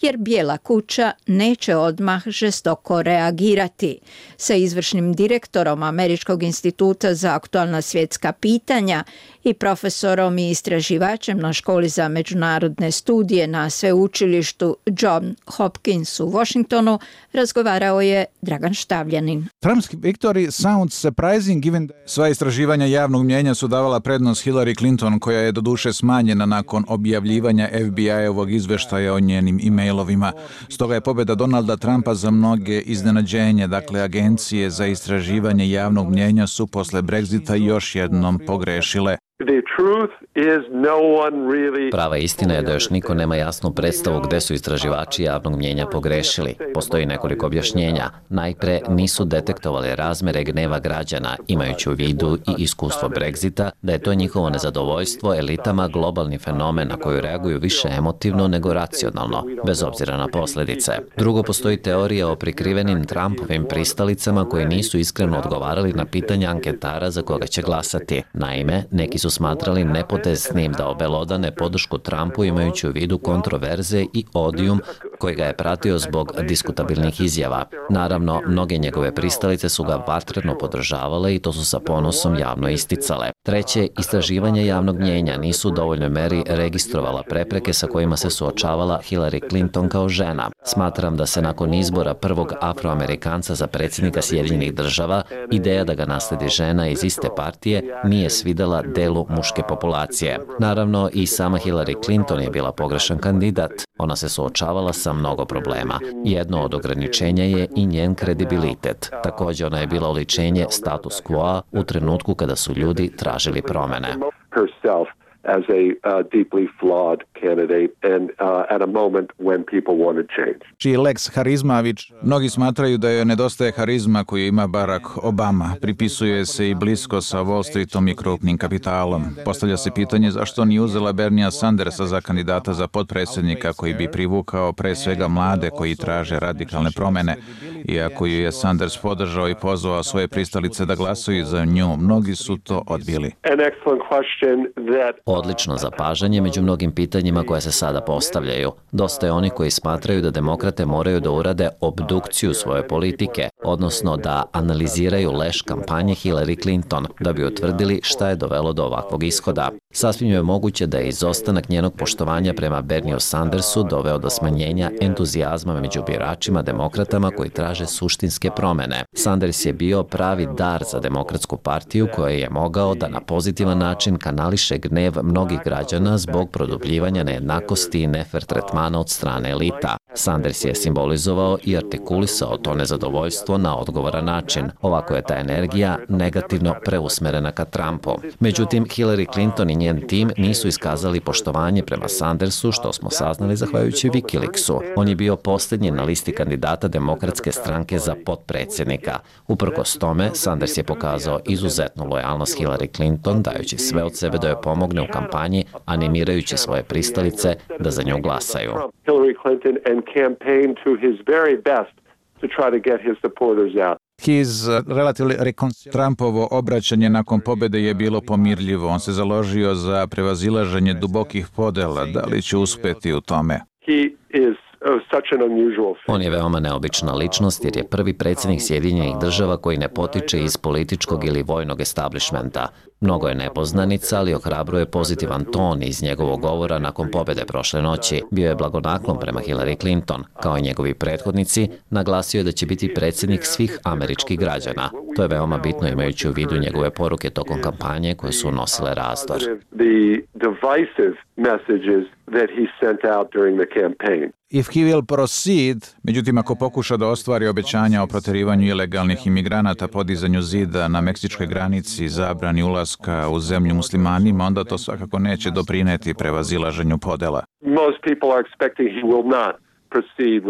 jer Bijela kuća neće odmah žestoko reagirati. Sa izvršnim direktorom Američkog instituta za aktualna svjetska pitanja i profesorom i istraživačem na školi za međunarodne studije na sveučilištu John Hopkins u Washingtonu razgovarao je Dragan Štavljanin. Trump's victory sounds surprising given sva istraživanja javnog mnijenja su davala prednost Hillary Clinton, koja je doduše smanjena nakon objavljivanja FBI-ovog izveštaja o njenim e-mailovima. Stoga je pobjeda Donalda Trumpa za mnoge iznenađenje. Dakle, agencije za istraživanje javnog mnijenja su posle Brexita još jednom pogrešile. Prava istina je da još niko nema jasnu predstavu gde su istraživači javnog mnijenja pogrešili. Postoji nekoliko objašnjenja. Najpre, nisu detektovali razmere gneva građana, imajući u vidu i iskustvo Brexita, da je to njihovo nezadovoljstvo elitama globalni fenomen na koju reaguju više emotivno nego racionalno, bez obzira na posljedice. Drugo, postoji teorija o prikrivenim Trumpovim pristalicama koji nisu iskreno odgovarali na pitanja anketara za koga će glasati. Naime, neki su smatrali nepotesnim da obelodane podršku Trumpu imajući u vidu kontroverze i odijum koji ga je pratio zbog diskutabilnih izjava. Naravno, mnoge njegove pristalice su ga vatreno podržavale i to su sa ponosom javno isticale. Treće, istraživanja javnog mnijenja nisu u dovoljnoj meri registrovala prepreke sa kojima se suočavala Hillary Clinton kao žena. Smatram da se nakon izbora prvog Afroamerikanca za predsjednika Sjedinjenih Država, ideja da ga nasledi žena iz iste partije nije svidela delu muške populacije. Naravno, i sama Hillary Clinton je bila pogrešan kandidat. Ona se suočavala sa mnogo problema. Jedno od ograničenja je i njen kredibilitet. Također, ona je bila oličenje status quo u trenutku kada su ljudi tražili promene. As a deeply flawed candidate and at a moment when people wanted change. Čiji Lex Harizmavić, mnogi smatraju da joj nedostaje harizma koju ima Barack Obama. Pripisuje se i blisko sa Wall Streetom i krupnim kapitalom. Postavlja se pitanje zašto nije uzela Bernia Sandersa za kandidata za potpredsjednika koji bi privukao pre svega mlade koji traže radikalne promene. Iako ju je Sanders podržao i pozvao svoje pristalice da glasuju za nju, mnogi su to odbili. Odlično zapažanje među mnogim pitanjima koja se sada postavljaju. Dosta je oni koji smatraju da demokrate moraju da urade obdukciju svoje politike, odnosno da analiziraju leš kampanje Hillary Clinton, da bi utvrdili šta je dovelo do ovakvog ishoda. Sasvim je moguće da je izostanak njenog poštovanja prema Bernieu Sandersu doveo do smanjenja entuzijazma među biračima demokratama koji traže suštinske promene. Sanders je bio pravi dar za demokratsku partiju koja je mogao da na pozitivan način kanališe gnev mnogih građana zbog produbljivanja nejednakosti i nefer tretmana od strane elita. Sanders je simbolizovao i artikulisao to nezadovoljstvo na odgovoran način. Ovako je ta energija negativno preusmerena ka Trumpu. Međutim, Hillary Clinton i njen tim nisu iskazali poštovanje prema Sandersu, što smo saznali zahvaljujući Wikileaksu. On je bio posljednji na listi kandidata Demokratske stranke za potpredsjednika. Uprkos tome, Sanders je pokazao izuzetnu lojalnost Hillary Clinton, dajući sve od sebe da joj pomogne u kampanji, animirajući svoje pristalice da za nju glasaju. Trumpovo obraćanje nakon pobjede je bilo pomirljivo. On se založio za prevazilaženje dubokih podela. Da li će uspjeti u tome? On je veoma neobična ličnost jer je prvi predsjednik Sjedinjenih Država koji ne potiče iz političkog ili vojnog establishmenta. Mnogo je nepoznanica, ali ohrabruje pozitivan ton iz njegovog govora nakon pobjede prošle noći. Bio je blagonaklon prema Hillary Clinton. Kao i njegovi prethodnici, naglasio je da će biti predsjednik svih američkih građana. To je veoma bitno imajući u vidu njegove poruke tokom kampanje koje su nosile razdor. If he will proceed, međutim ako pokuša da ostvari obećanja o proterivanju ilegalnih imigranata, podizanju zida na meksičkoj granici, zabrani ulaska u zemlju muslimanima, onda to svakako neće doprineti prevazilaženju podela.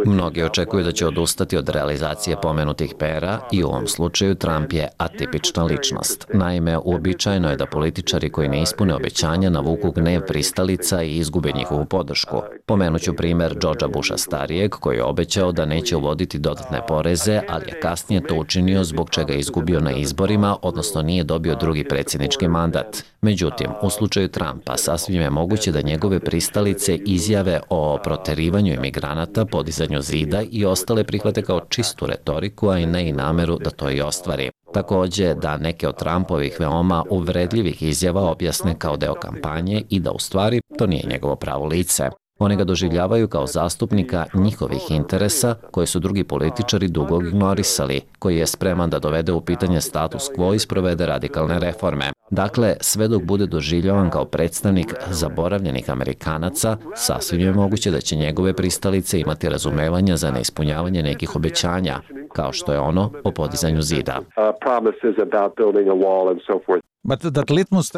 Mnogi očekuju da će odustati od realizacije pomenutih pera i u ovom slučaju Trump je atipična ličnost. Naime, uobičajeno je da političari koji ne ispune obećanja navuku gnev pristalica i izgube njihovu podršku. Pomenuću primjer Georgea Busha starijeg koji je obećao da neće uvoditi dodatne poreze, ali je kasnije to učinio zbog čega je izgubio na izborima, odnosno nije dobio drugi predsjednički mandat. Međutim, u slučaju Trumpa sasvim je moguće da njegove pristalice izjave o proterivanju imigranata, podizanju zida i ostale prihvate kao čistu retoriku, a i ne i nameru da to i ostvari. Također da neke od Trumpovih veoma uvredljivih izjava objasne kao deo kampanje i da u stvari to nije njegovo pravo lice. Oni ga doživljavaju kao zastupnika njihovih interesa koje su drugi političari dugo ignorisali, koji je spreman da dovede u pitanje status quo i sprovede radikalne reforme. Dakle, sve dok bude doživljavan kao predstavnik zaboravljenih Amerikanaca, sasvim je moguće da će njegove pristalice imati razumevanja za neispunjavanje nekih obećanja, kao što je ono o podizanju zida.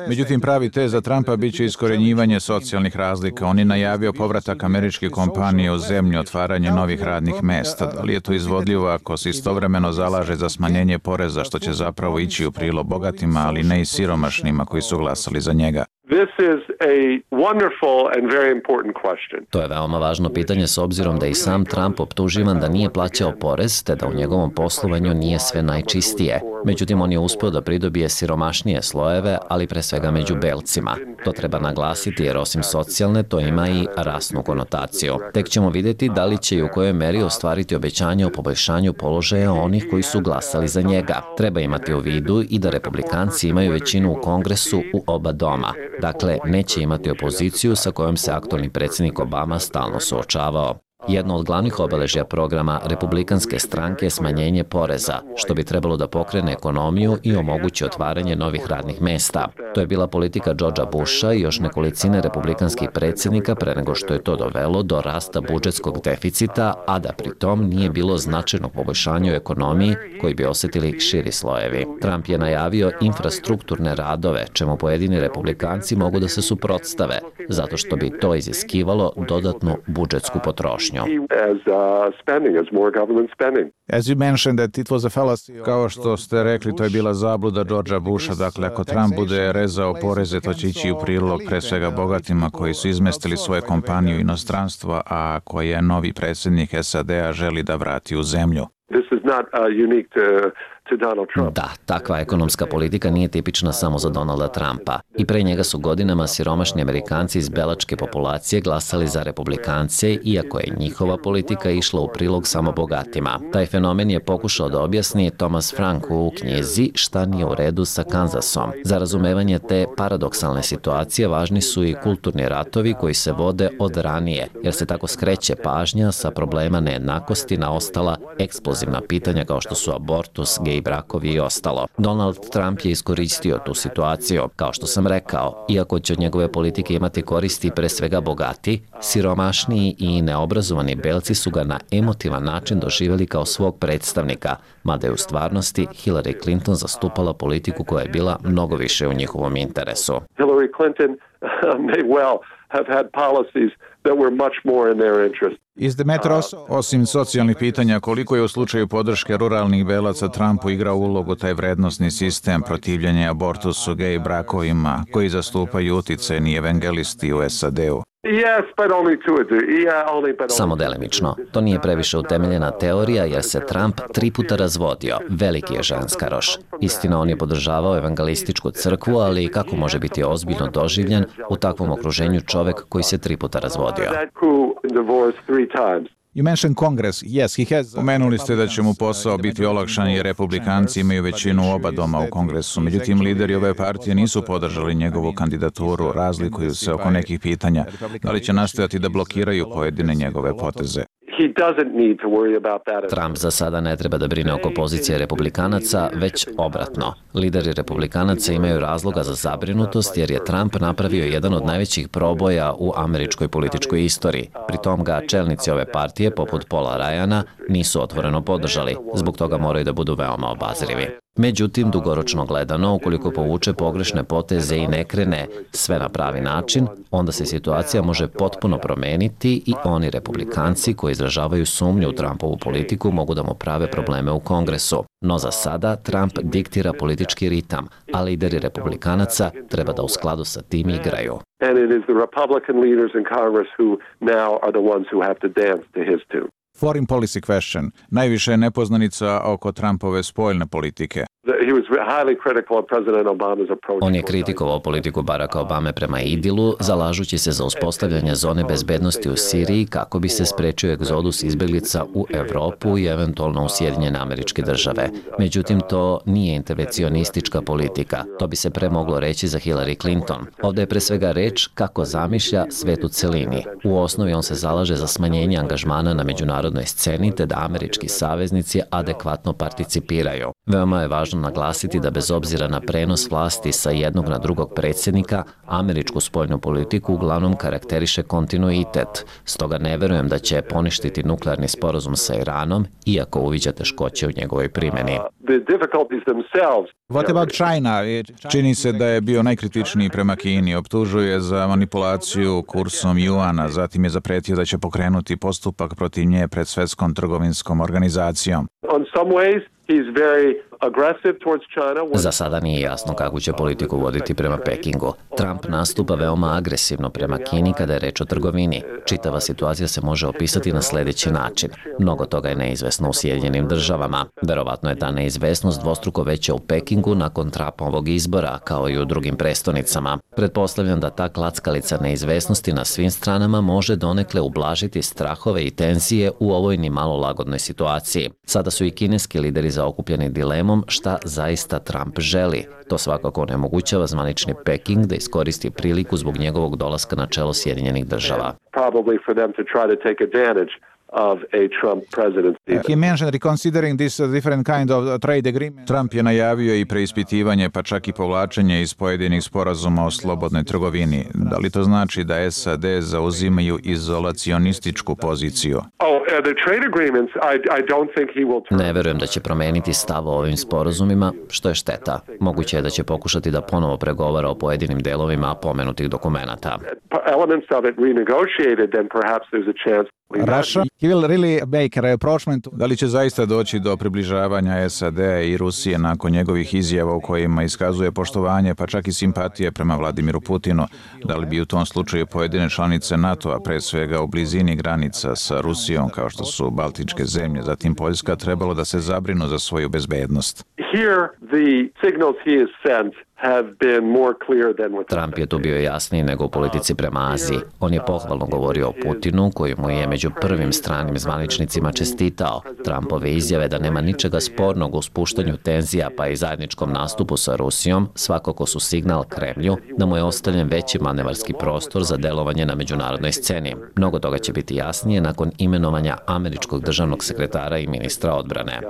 Međutim, pravi tez za Trumpa bit će iskorjenjivanje socijalnih razlika. On je najavio povratak američke kompanije u zemlju, otvaranje novih radnih mesta. Da li je to izvodljivo ako se istovremeno zalaže za smanjenje poreza, što će zapravo ići u prilog bogatima, ali ne i siromašnima koji su glasali za njega? To je veoma važno pitanje s obzirom da i sam Trump optuživan da nije plaćao porez, te da u njegovom poslovanju nije sve najčistije. Međutim, on je uspio da pridobije siromašnije slojeve, ali pre svega među belcima. To treba naglasiti jer osim socijalne, to ima i rasnu konotaciju. Tek ćemo vidjeti da li će i u kojoj meri ostvariti obećanje o poboljšanju položaja onih koji su glasali za njega. Treba imati u vidu i da republikanci imaju većinu u Kongresu u oba doma. Dakle, neće imati opoziciju sa kojom se aktualni predsjednik Obama stalno suočavao. Jedno od glavnih obeležja programa Republikanske stranke je smanjenje poreza, što bi trebalo da pokrene ekonomiju i omogući otvaranje novih radnih mesta. To je bila politika Georgea Busha i još nekolicine republikanskih predsjednika pre nego što je to dovelo do rasta budžetskog deficita, a da pri tom nije bilo značajnog poboljšanja u ekonomiji koji bi osjetili širi slojevi. Trump je najavio infrastrukturne radove, čemu pojedini republikanci mogu da se suprotstave, zato što bi to iziskivalo dodatnu budžetsku potrošnju. Kao što ste rekli, to je bila zabluda Georgea Busha. Dakle, ako Trump bude rezao poreze, to će ići u prilog pre svega bogatima koji su izmestili svoje kompanije u inostranstvo, a koje novi predsjednik SAD-a želi da vrati u zemlju. Da, takva ekonomska politika nije tipična samo za Donalda Trumpa. I pre njega su godinama siromašni Amerikanci iz belačke populacije glasali za republikance, iako je njihova politika išla u prilog samo bogatima. Taj fenomen je pokušao da objasni Thomas Frank u knjizi Šta nije u redu sa Kansasom. Za razumevanje te paradoksalne situacije važni su i kulturni ratovi koji se vode od ranije, jer se tako skreće pažnja sa problema nejednakosti na ostala eksplozivna pitanja kao što su abortus, gej brakovi i ostalo. Donald Trump je iskoristio tu situaciju. Kao što sam rekao, iako će od njegove politike imati koristi pre svega bogati, siromašniji i neobrazovani belci su ga na emotivan način doživjeli kao svog predstavnika, mada je u stvarnosti Hillary Clinton zastupala politiku koja je bila mnogo više u njihovom interesu. Hillary Clinton may well have had policies that were much more in their interest. Osim socijalnih pitanja, koliko je u slučaju podrške ruralnih belaca Trumpu igrao ulogu taj vrednosni sistem protivljenja abortusu, gej brakovima, koji zastupaju uticajni evangelisti u SAD-u? Samo delimično. To nije previše utemeljena teorija jer se Trump 3 puta razvodio. Veliki je ženskaroš. Istina, on je podržavao evangelističku crkvu, ali kako može biti ozbiljno doživljen u takvom okruženju čovek koji se 3 puta razvodio? You mentioned Congress. Yes, he has. Pomenuli ste da će mu posao biti olakšan jer republikanci imaju većinu u oba doma u Kongresu. Međutim, lideri ove partije nisu podržali njegovu kandidaturu, razlikuju se oko nekih pitanja. Da li će nastojati da blokiraju pojedine njegove poteze? Trump za sada ne treba da brine oko pozicije republikanaca, već obratno. Lideri republikanaca imaju razloga za zabrinutost jer je Trump napravio jedan od najvećih proboja u američkoj političkoj istoriji. Pritom ga čelnici ove partije, poput Paula Ryana, nisu otvoreno podržali. Zbog toga moraju da budu veoma obazrivi. Međutim, dugoročno gledano, ukoliko povuče pogrešne poteze i ne krene sve na pravi način, onda se situacija može potpuno promeniti i oni republikanci koji izražavaju sumnju u Trumpovu politiku mogu da mu prave probleme u Kongresu. No za sada Trump diktira politički ritam, a lideri republikanaca treba da u skladu sa tim igraju. And it is the Republican leaders in Congress who now are the ones who have to dance to his tune. Foreign policy question. Najviše je nepoznanica oko Trumpove spoljne politike. On je kritikovao politiku Baracka Obame prema Idilu, zalažući se za uspostavljanje zone bezbednosti u Siriji kako bi se sprečio egzodus izbeglica u Evropu i eventualno u Sjedinjene Američke Države. Međutim, to nije intervencionistička politika. To bi se pre moglo reći za Hillary Clinton. Ovdje je pre svega reč kako zamišlja svet u celini. U osnovi on se zalaže za smanjenje angažmana na međunarodnoj sceni te da američki saveznici adekvatno participiraju. Veoma je važno naglasiti da bez obzira na prenos vlasti sa jednog na drugog predsjednika, američku spoljnu politiku uglavnom karakteriše kontinuitet. Stoga ne verujem da će poništiti nuklearni sporazum sa Iranom, iako uviđa teškoće u njegovoj primjeni. What about China? Čini se da je bio najkritičniji prema Kini. Optužuje za manipulaciju kursom juana, zatim je zapretio da će pokrenuti postupak protiv nje pred Svetskom trgovinskom organizacijom. Za sada nije jasno kako će politiku voditi prema Pekingu. Trump nastupa veoma agresivno prema Kini kada je reč o trgovini. Čitava situacija se može opisati na sljedeći način. Mnogo toga je neizvesno u Sjedinjenim Državama. Verovatno je ta neizvesnost dvostruko veća u Pekingu nakon Trumpovog izbora, kao i u drugim prestonicama. Pretpostavljam da ta klackalica neizvesnosti na svim stranama može donekle ublažiti strahove i tenzije u ovoj ni malo lagodnoj situaciji. Sada su i kineski lideri zaokupljeni dilemom šta zaista Trump želi. To svakako onemogućava zvanični Peking da iskoristi priliku zbog njegovog dolaska na čelo Sjedinjenih Država. He mentioned reconsidering this different kind of trade agreement. Trump je najavio i preispitivanje pa čak i povlačenje iz pojedinih sporazuma o slobodnoj trgovini. Da li to znači da SAD zauzimaju izolacionističku poziciju? Ne verujem da će promeniti stav o ovim sporazumima, što je šteta. Moguće je da će pokušati da ponovo pregovara o pojedinim delovima pomenutih dokumenata. Russia, he will really make a rapprochement. Da li će zaista doći do približavanja SAD i Rusije nakon njegovih izjava u kojima iskazuje poštovanje pa čak i simpatije prema Vladimiru Putinu? Da li bi u tom slučaju pojedine članice NATO-a, pre svega u blizini granica sa Rusijom kao što su Baltičke zemlje, zatim Poljska, trebalo da se zabrinu za svoju bezbednost? Here the signals he has sent Trump je tu bio jasniji nego u politici prema Aziji. On je pohvalno govorio o Putinu, koji mu je među prvim stranim zvaničnicima čestitao. Trumpove izjave da nema ničega spornog u spuštanju tenzija pa i zajedničkom nastupu sa Rusijom svakako su signal Kremlju da mu je ostavljen veći manevarski prostor za delovanje na međunarodnoj sceni. Mnogo toga će biti jasnije nakon imenovanja američkog državnog sekretara i ministra odbrane.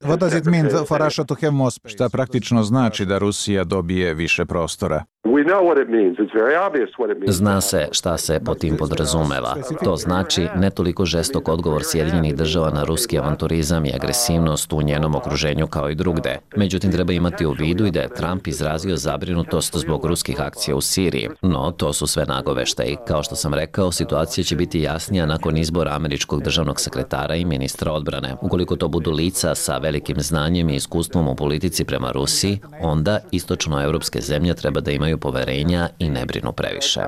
What does it mean for Russia to have more? Šta praktično znači da Rusija dobije više prostora? Zna se šta se po tim podrazumeva. To znači ne toliko žestok odgovor Sjedinjenih država na ruski avanturizam i agresivnost u njenom okruženju kao i drugde. Međutim, treba imati u vidu i da je Trump izrazio zabrinutost zbog ruskih akcija u Siriji. No, to su sve nagoveštaji. Kao što sam rekao, situacija će biti jasnija nakon izbora američkog državnog sekretara i ministra odbrane. Ukoliko to budu lica sa velikim znanjem i iskustvom u politici prema Rusiji, onda istočnoevropske zemlje treba da imaju poverenja i ne brinu previše.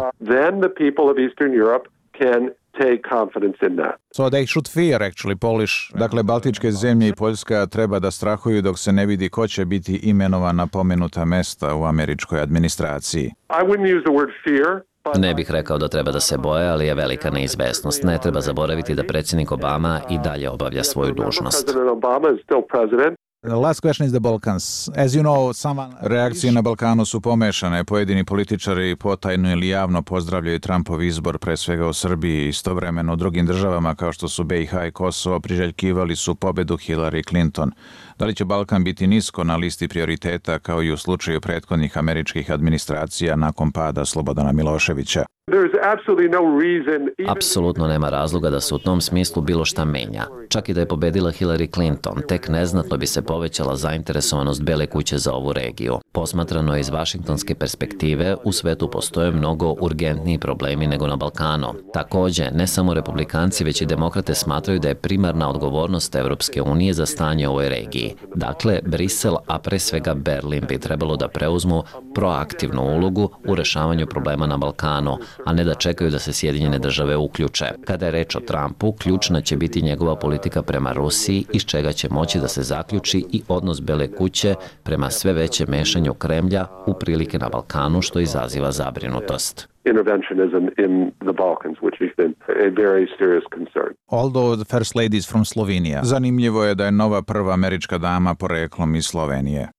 So they should fear actually Polish. Dakle, Baltičke zemlje i Poljska treba da strahuju dok se ne vidi ko će biti imenovan na pomenuta mesta u američkoj administraciji. Ne bih rekao da treba da se boje, ali je velika neizvesnost. Ne treba zaboraviti da predsjednik Obama i dalje obavlja svoju dužnost. Last question is the Balkans. As you know, reakcije na Balkanu su pomešane. Pojedini političari potajno ili javno pozdravljaju Trumpov izbor, pre svega u Srbiji. Istovremeno u drugim državama kao što su BiH i Kosovo priželjkivali su pobedu Hillary Clinton. Da li će Balkan biti nisko na listi prioriteta kao i u slučaju prethodnih američkih administracija nakon pada Slobodana Miloševića? Apsolutno nema razloga da se u tom smislu bilo šta menja. Čak i da je pobedila Hillary Clinton, tek neznatno bi se povećala zainteresovanost Bele kuće za ovu regiju. Posmatrano iz vašingtonske perspektive, u svetu postoje mnogo urgentniji problemi nego na Balkanu. Takođe, ne samo republikanci, već i demokrate smatraju da je primarna odgovornost Evropske unije za stanje u ovoj regiji. Dakle, Brisel, a pre svega Berlin bi trebalo da preuzmu proaktivnu ulogu u rešavanju problema na Balkanu, a ne da čekaju da se Sjedinjene države uključe. Kada je reč o Trumpu, ključna će biti njegova politika prema Rusiji, iz čega će moći da se zaključi i odnos Bele kuće prema sve veće mešanju Kremlja u prilike na Balkanu, što izaziva zabrinutost. Although the first lady is from Slovenia. Zanimljivo je da je nova prva američka dama poreklom iz Slovenije.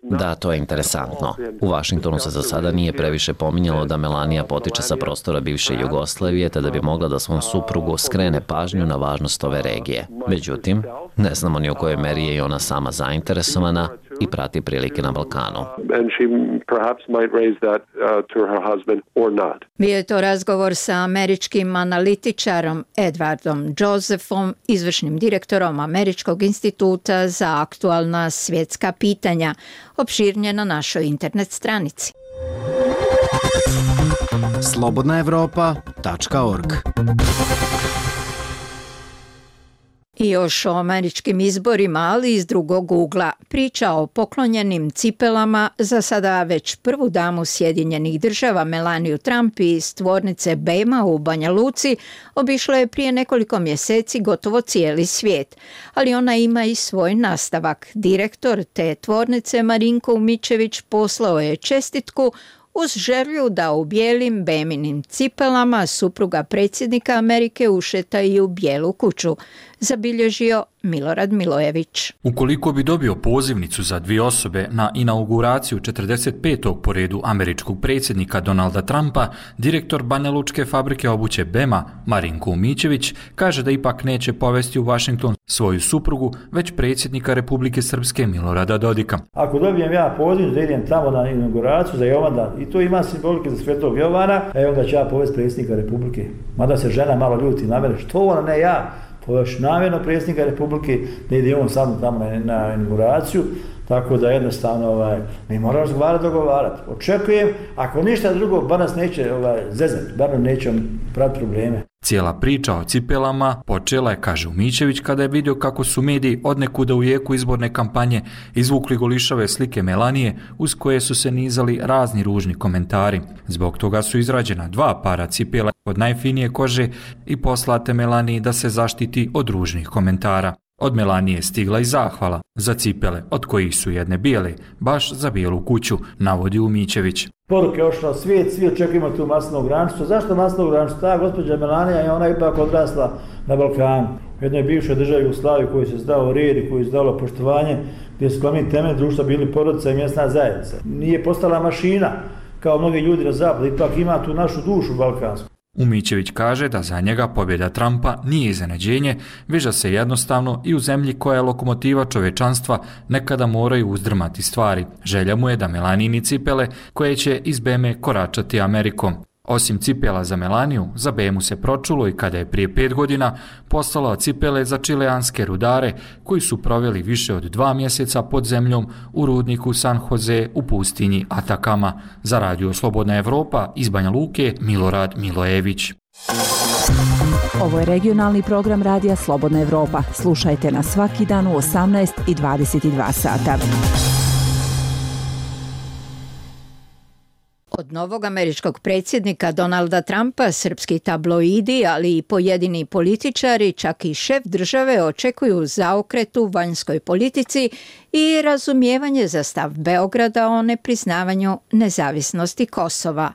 Da, to je interesantno. U Vašingtonu se za sada nije previše pominjalo da Melania potiče sa prostora bivše Jugoslavije, te da bi mogla da svom suprugu skrene pažnju na važnost ove regije. Međutim, ne znamo ni u kojoj meri je i ona sama zainteresovana i prati prilike na Balkanu. Bio je to razgovor sa američkim analitičarom Edwardom Josephom, izvršnim direktorom Američkog instituta za aktualna svjetska pitanja, opširnje na našoj internet stranici. slobodnaevropa.org. I još o američkim izborima, ali iz drugog ugla. Priča o poklonjenim cipelama za sada već prvu damu Sjedinjenih država Melaniju Trump iz tvornice Bema u Banja Luci obišlo je prije nekoliko mjeseci gotovo cijeli svijet. Ali ona ima i svoj nastavak. Direktor te tvornice Marinko Umičević poslao je čestitku uz želju da u bijelim Beminim cipelama supruga predsjednika Amerike ušeta i u Bijelu kuću, zabilježio Milorad Milojević. Ukoliko bi dobio pozivnicu za 2 osobe na inauguraciju 45. po redu američkog predsjednika Donalda Trumpa, direktor banjalučke fabrike obuće Bema, Marinko Umičević, kaže da ipak neće povesti u Washington svoju suprugu, već predsjednika Republike Srpske Milorada Dodika. Ako dobijem ja poziv da idem tamo na inauguraciju za Jovana, i to ima simbolike za Svetog Jovana, onda ću ja povesti predsjednika Republike. Mada se žena malo ljuti na mene, što ona, ne ja, poveš namjerno predsjednika Republike, ne ide on sam tamo na inauguraciju, tako da jednostavno mi moramo razgovarati, dogovarati. Očekujem, ako ništa drugo, bar nas neće zezati, bar nam neće praviti probleme. Cijela priča o cipelama počela je, kaže Umičević, kada je vidio kako su mediji odnekuda u jeku izborne kampanje izvukli golišave slike Melanije uz koje su se nizali razni ružni komentari. Zbog toga su izrađena 2 para cipela od najfinije kože i poslate Melaniji da se zaštiti od ružnih komentara. Od Melanije je stigla i zahvala za cipele, od kojih su jedne bijele, baš za Bijelu kuću, navodi Umićević. Poruke ošla svijet, svi očekujemo tu masnog granicu. Zašto masnog granicu? Ta gospođa Melanija je ona ipak odrasla na Balkanu. U jednoj bivšoj državi Jugoslaviji koji se zdao red i koji se zdalo poštovanje, gdje su glavni temelj društva bili porodica i mjesna zajednica. Nije postala mašina kao mnogi ljudi na zapadu, ipak ima tu našu dušu balkansku. Umićević kaže da za njega pobjeda Trumpa nije iznenađenje, već da se jednostavno i u zemlji koja je lokomotiva čovečanstva nekada moraju uzdrmati stvari. Želja mu je da Melanini cipele koje će iz Beme koračati Amerikom. Osim cipela za Melaniju, za Bemu se pročulo i kada je prije 5 godina poslala cipele za čileanske rudare koji su proveli više od 2 mjeseca pod zemljom u rudniku San Jose u pustinji Atakama. Za Radio Slobodna Evropa iz Banja Luke, Milorad Milojević. Ovo je regionalni program Radija Slobodna Evropa. Slušajte nas svaki dan u 18 i 22 sata. Od novog američkog predsjednika Donalda Trumpa srpski tabloidi, ali i pojedini političari, čak i šef države, očekuju zaokret u vanjskoj politici i razumijevanje za stav Beograda o nepriznavanju nezavisnosti Kosova.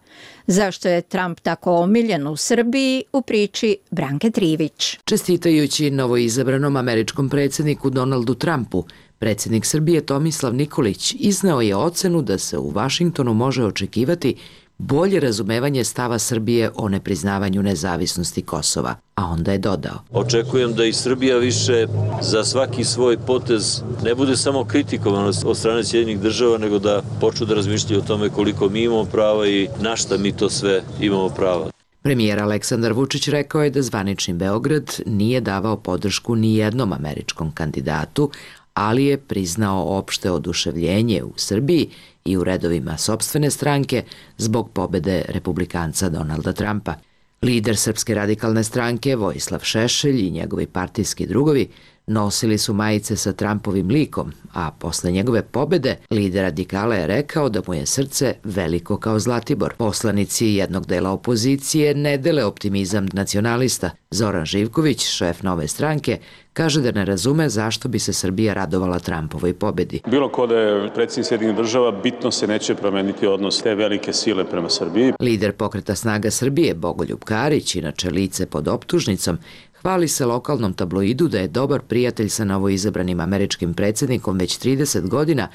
Zašto je Trump tako omiljen u Srbiji, u priči Branke Trivić. Čestitajući novoizabranom američkom predsjedniku Donaldu Trumpu, predsjednik Srbije Tomislav Nikolić izneo je ocenu da se u Vašingtonu može očekivati bolje razumevanje stava Srbije o nepriznavanju nezavisnosti Kosova, a onda je dodao. Očekujem da i Srbija više za svaki svoj potez ne bude samo kritikovana od strane Sjedinjenih država, nego da počnu da razmišljaju o tome koliko mi imamo prava i na šta mi to sve imamo prava. Premijer Aleksandar Vučić rekao je da zvanični Beograd nije davao podršku ni jednom američkom kandidatu, ali je priznao opšte oduševljenje u Srbiji i u redovima sopstvene stranke zbog pobede republikanca Donalda Trumpa. Lider Srpske radikalne stranke Vojislav Šešelj i njegovi partijski drugovi nosili su majice sa Trumpovim likom, a posle njegove pobede lider radikala je rekao da mu je srce veliko kao Zlatibor. Poslanici jednog dela opozicije ne dele optimizam nacionalista. Zoran Živković, šef Nove stranke, kaže da ne razume zašto bi se Srbija radovala Trumpovoj pobedi. Bilo ko da je predsjednik Sjedinjenih država, bitno se neće promeniti odnos te velike sile prema Srbiji. Lider Pokreta snaga Srbije Bogoljub Karić, inače lice pod optužnicom, hvali se lokalnom tabloidu da je dobar prijatelj sa novoizabranim američkim predsjednikom već 30 godina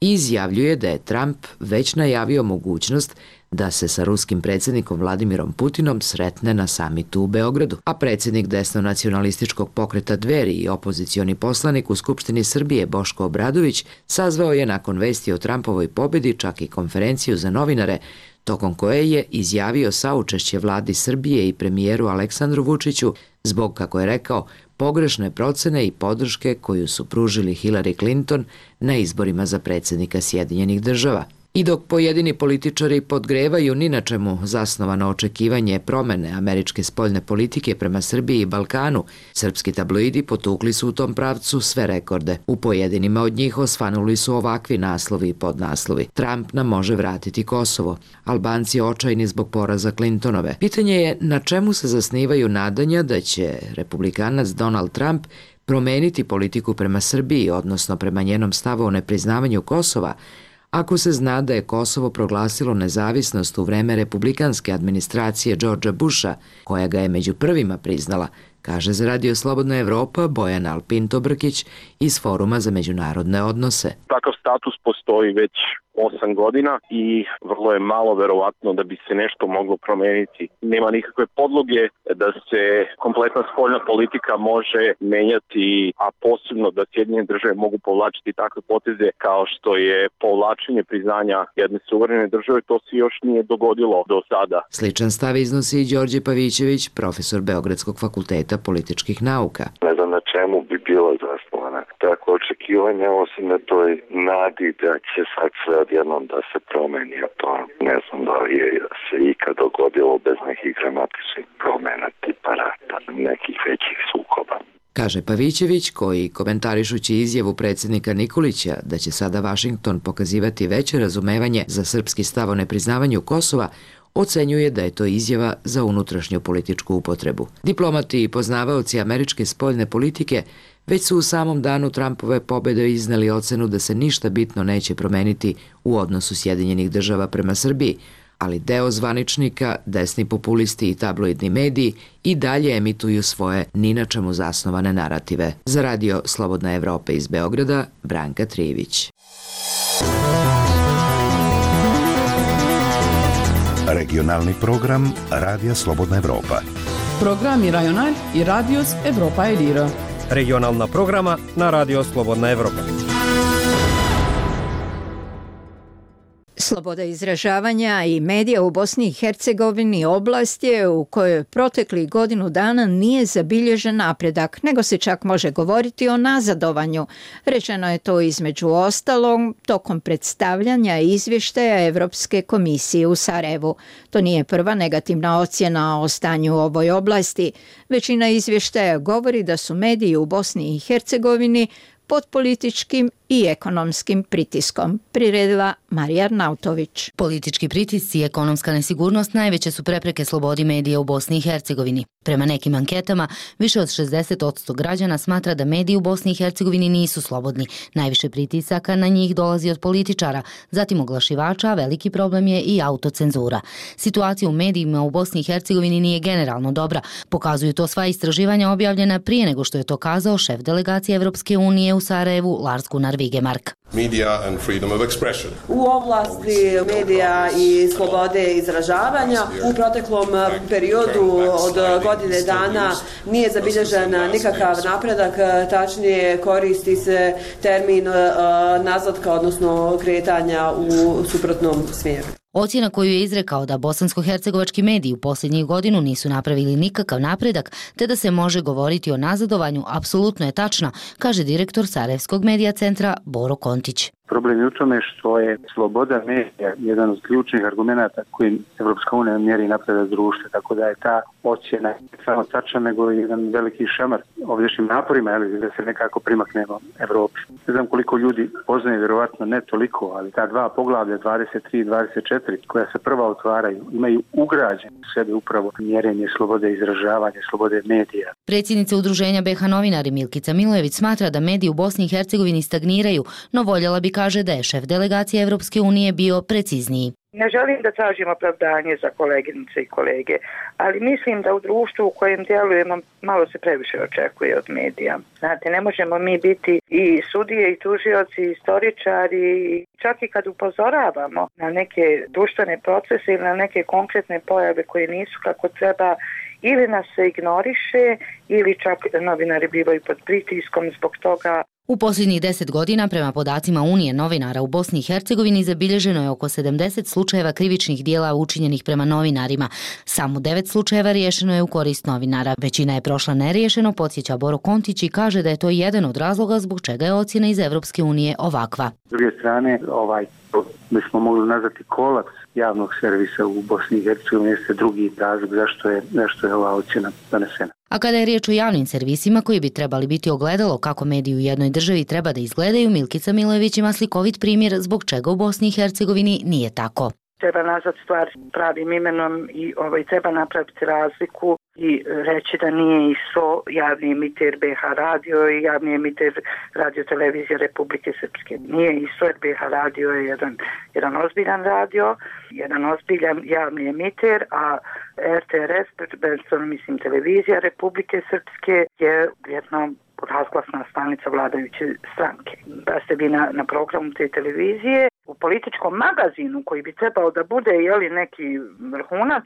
i izjavljuje da je Trump već najavio mogućnost da se sa ruskim predsjednikom Vladimirom Putinom sretne na samitu u Beogradu. A predsjednik desno-nacionalističkog pokreta Dveri i opozicioni poslanik u Skupštini Srbije Boško Obradović sazvao je nakon vesti o Trumpovoj pobedi čak i konferenciju za novinare, tokom koje je izjavio saučešće vladi Srbije i premijeru Aleksandru Vučiću zbog, kako je rekao, pogrešne procene i podrške koju su pružili Hillary Clinton na izborima za predsjednika Sjedinjenih država. I dok pojedini političari podgrevaju ni na čemu zasnovano očekivanje promene američke spoljne politike prema Srbiji i Balkanu, srpski tabloidi potukli su u tom pravcu sve rekorde. U pojedinima od njih osvanuli su ovakvi naslovi i podnaslovi. Trump nam može vratiti Kosovo. Albanci očajni zbog poraza Clintonove. Pitanje je na čemu se zasnivaju nadanja da će republikanac Donald Trump promeniti politiku prema Srbiji, odnosno prema njenom stavu o nepriznavanju Kosova, ako se zna da je Kosovo proglasilo nezavisnost u vreme republikanske administracije Georgea Busha, koja ga je među prvima priznala, kaže za Radio Slobodna Evropa Bojana Alpinto-Brkić iz Foruma za međunarodne odnose. Takav status postoji već 8 godina i vrlo je malo verovatno da bi se nešto moglo promeniti. Nema nikakve podloge da se kompletna spoljna politika može menjati, a posebno da Sjedinjene države mogu povlačiti takve poteze kao što je povlačenje priznanja jedne suverene države. To se još nije dogodilo do sada. Sličan stav iznosi i Đorđe Pavićević, profesor Beogradskog fakulteta političkih nauka. Ne znam na čemu bi bilo zasnovana tako očekivanja, osim na toj nadi da će sad sve odjednom da se promeni, a to ne znam da li je se ikad dogodilo bez nekih dramatičnih promena tipa rata, nekih većih sukoba. Kaže Pavićević, koji komentarišući izjavu predsjednika Nikolića da će sada Vašington pokazivati veće razumevanje za srpski stav o nepriznavanju Kosova, ocenjuje da je to izjava za unutrašnju političku upotrebu. Diplomati i poznavaoci američke spoljne politike Već su u samom danu Trumpove pobjede izneli ocenu da se ništa bitno neće promeniti u odnosu Sjedinjenih država prema Srbiji, ali deo zvaničnika, desni populisti i tabloidni mediji i dalje emituju svoje ni na čemu zasnovane narative. Za radio Slobodna Evropa iz Beograda, Branka Trijević. Regionalni program Radija Slobodna Evropa. Programi Rajonal i Radios Evropa Elira. Regionalna programa na Radio Slobodna Evropa. Sloboda izražavanja i medija u Bosni i Hercegovini oblast je u kojoj proteklih godinu dana nije zabilježen napredak, nego se čak može govoriti o nazadovanju. Rečeno je to između ostalog tokom predstavljanja izvještaja Evropske komisije u Sarajevu. To nije prva negativna ocjena o stanju u ovoj oblasti. Većina izvještaja govori da su mediji u Bosni i Hercegovini pod političkim i ekonomskim pritiskom, priredila Marija Arnautović. Politički pritisci i ekonomska nesigurnost najveće su prepreke slobodi medija u Bosni i Hercegovini. Prema nekim anketama, više od 60% građana smatra da mediji u Bosni i Hercegovini nisu slobodni. Najviše pritisaka na njih dolazi od političara, zatim oglašivača, a veliki problem je i autocenzura. Situacija u medijima u Bosni i Hercegovini nije generalno dobra. Pokazuju to sva istraživanja objavljena prije nego što je to kazao šef delegacije Evropske unije u Sarajevu, Lars Gunnar Vigemark. Media and freedom of expression. U oblasti medija i slobode izražavanja u proteklom periodu od godine dana nije zabilježen nikakav napredak, tačnije koristi se termin nazadka, odnosno kretanja u suprotnom smjeru. Ocjena koju je izrekao da bosansko-hercegovački mediji u posljednjih godinu nisu napravili nikakav napredak, te da se može govoriti o nazadovanju, apsolutno je tačna, kaže direktor Sarajevskog medija centra Boro Kontić. Problem je u tome što je sloboda medija jedan od ključnih argumenata kojim Evropska unija mjeri napredak društva, tako da je ta ocjena samo tačna, nego jedan veliki šamar ovdješnjim naporima da se nekako primaknemo Evropi. Ne znam koliko ljudi poznaje, vjerovatno ne toliko, ali ta dva poglavlja 23 i 24 koja se prva otvaraju imaju ugrađen u sebe upravo mjerenje slobode izražavanja, slobode medija. Predsjednica Udruženja BiH novinari Milkica Milojević smatra da mediji u Bosni i Hercegovini stagniraju, no voljela bi, kaže, da je šef delegacije Evropske unije bio precizniji. Ne želim da tražim opravdanje za koleginice i kolege, ali mislim da u društvu u kojem djelujemo malo se previše očekuje od medija. Znate, ne možemo mi biti i sudije i tužioci i istoričari, čak i kad upozoravamo na neke društvene procese ili na neke konkretne pojave koje nisu kako treba, ili nas se ignoriše ili čak novinari bivaju pod pritiskom zbog toga. U posljednjih 10 godina, prema podacima Unije novinara u Bosni i Hercegovini, zabilježeno je oko 70 slučajeva krivičnih dijela učinjenih prema novinarima. Samo 9 slučajeva riješeno je u korist novinara. Većina je prošla neriješeno, podsjeća Boro Kontić i kaže da je to jedan od razloga zbog čega je ocjena iz Evropske unije ovakva. S druge strane, bismo mogli nazvati kolaps javnog servisa u Bosni i Hercegovini, jeste drugi razlog zašto je ova ocjena donesena. A kada je riječ o javnim servisima koji bi trebali biti ogledalo kako mediji u jednoj državi treba da izgledaju, Milkica Milojević ima slikovit primjer zbog čega u Bosni i Hercegovini nije tako. Treba nazvati stvar pravim imenom i treba napraviti razliku i reći da nije ISO javni emiter BiH radio i javni emiter radio televizije Republike Srpske. Nije ISO jer BiH radio je jedan ozbiljan radio, jedan ozbiljan javni emiter, a RTRS, mislim televizija Republike Srpske, je jedna razglasna stanica vladajuće stranke. Da ste vi na programu te televizije, u političkom magazinu koji bi trebao da bude neki vrhunac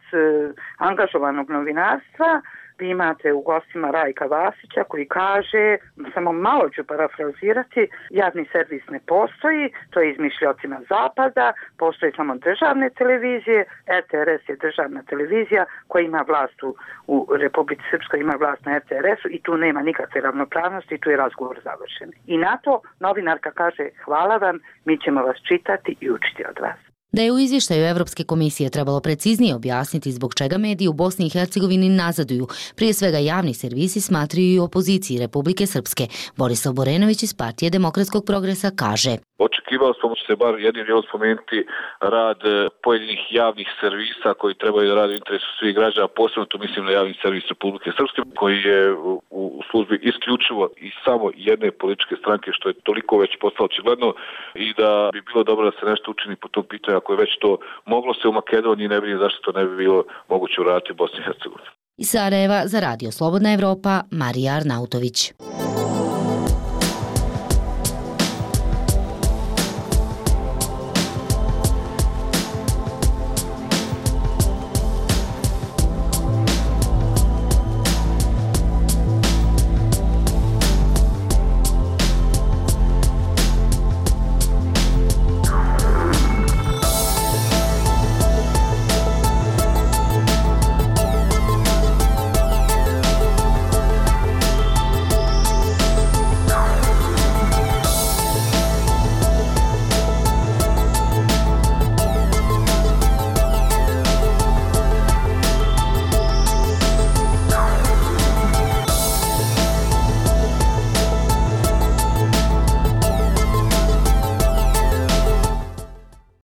angažovanog novinarstva, vi imate u gostima Rajka Vasića koji kaže, samo malo ću parafrazirati, javni servis ne postoji, to je izmišljocima zapada, postoji samo državne televizije, RTRS je državna televizija koja ima vlast u Republici Srpskoj, ima vlast na RTRS-u i tu nema nikakve ravnopravnosti i tu je razgovor završen. I na to novinarka kaže, hvala vam, mi ćemo vas čitati i učiti od vas. Da je u izvještaju Evropske komisije trebalo preciznije objasniti zbog čega mediji u Bosni i Hercegovini nazaduju, prije svega javni servisi, smatraju i opoziciji Republike Srpske. Borislav Borenović iz Partije demokratskog progresa kaže: Očekivao smo se bar jednim dijelom spomenuti rad pojedinih javnih servisa koji trebaju da rade u interesu svih građana, posebno tu mislim na javni servis Republike Srpske koji je u službi isključivo i samo jedne političke stranke, što je toliko već postalo očigledno, i da bi bilo dobro da se nešto učini po tom pitanju, ako je već to moglo se u Makedoniji, ne vidim zašto to ne bi bilo moguće uraditi u Bosni i Hercegovini. Iz Sarajeva za Radio Slobodna Evropa, Marija Arnautović.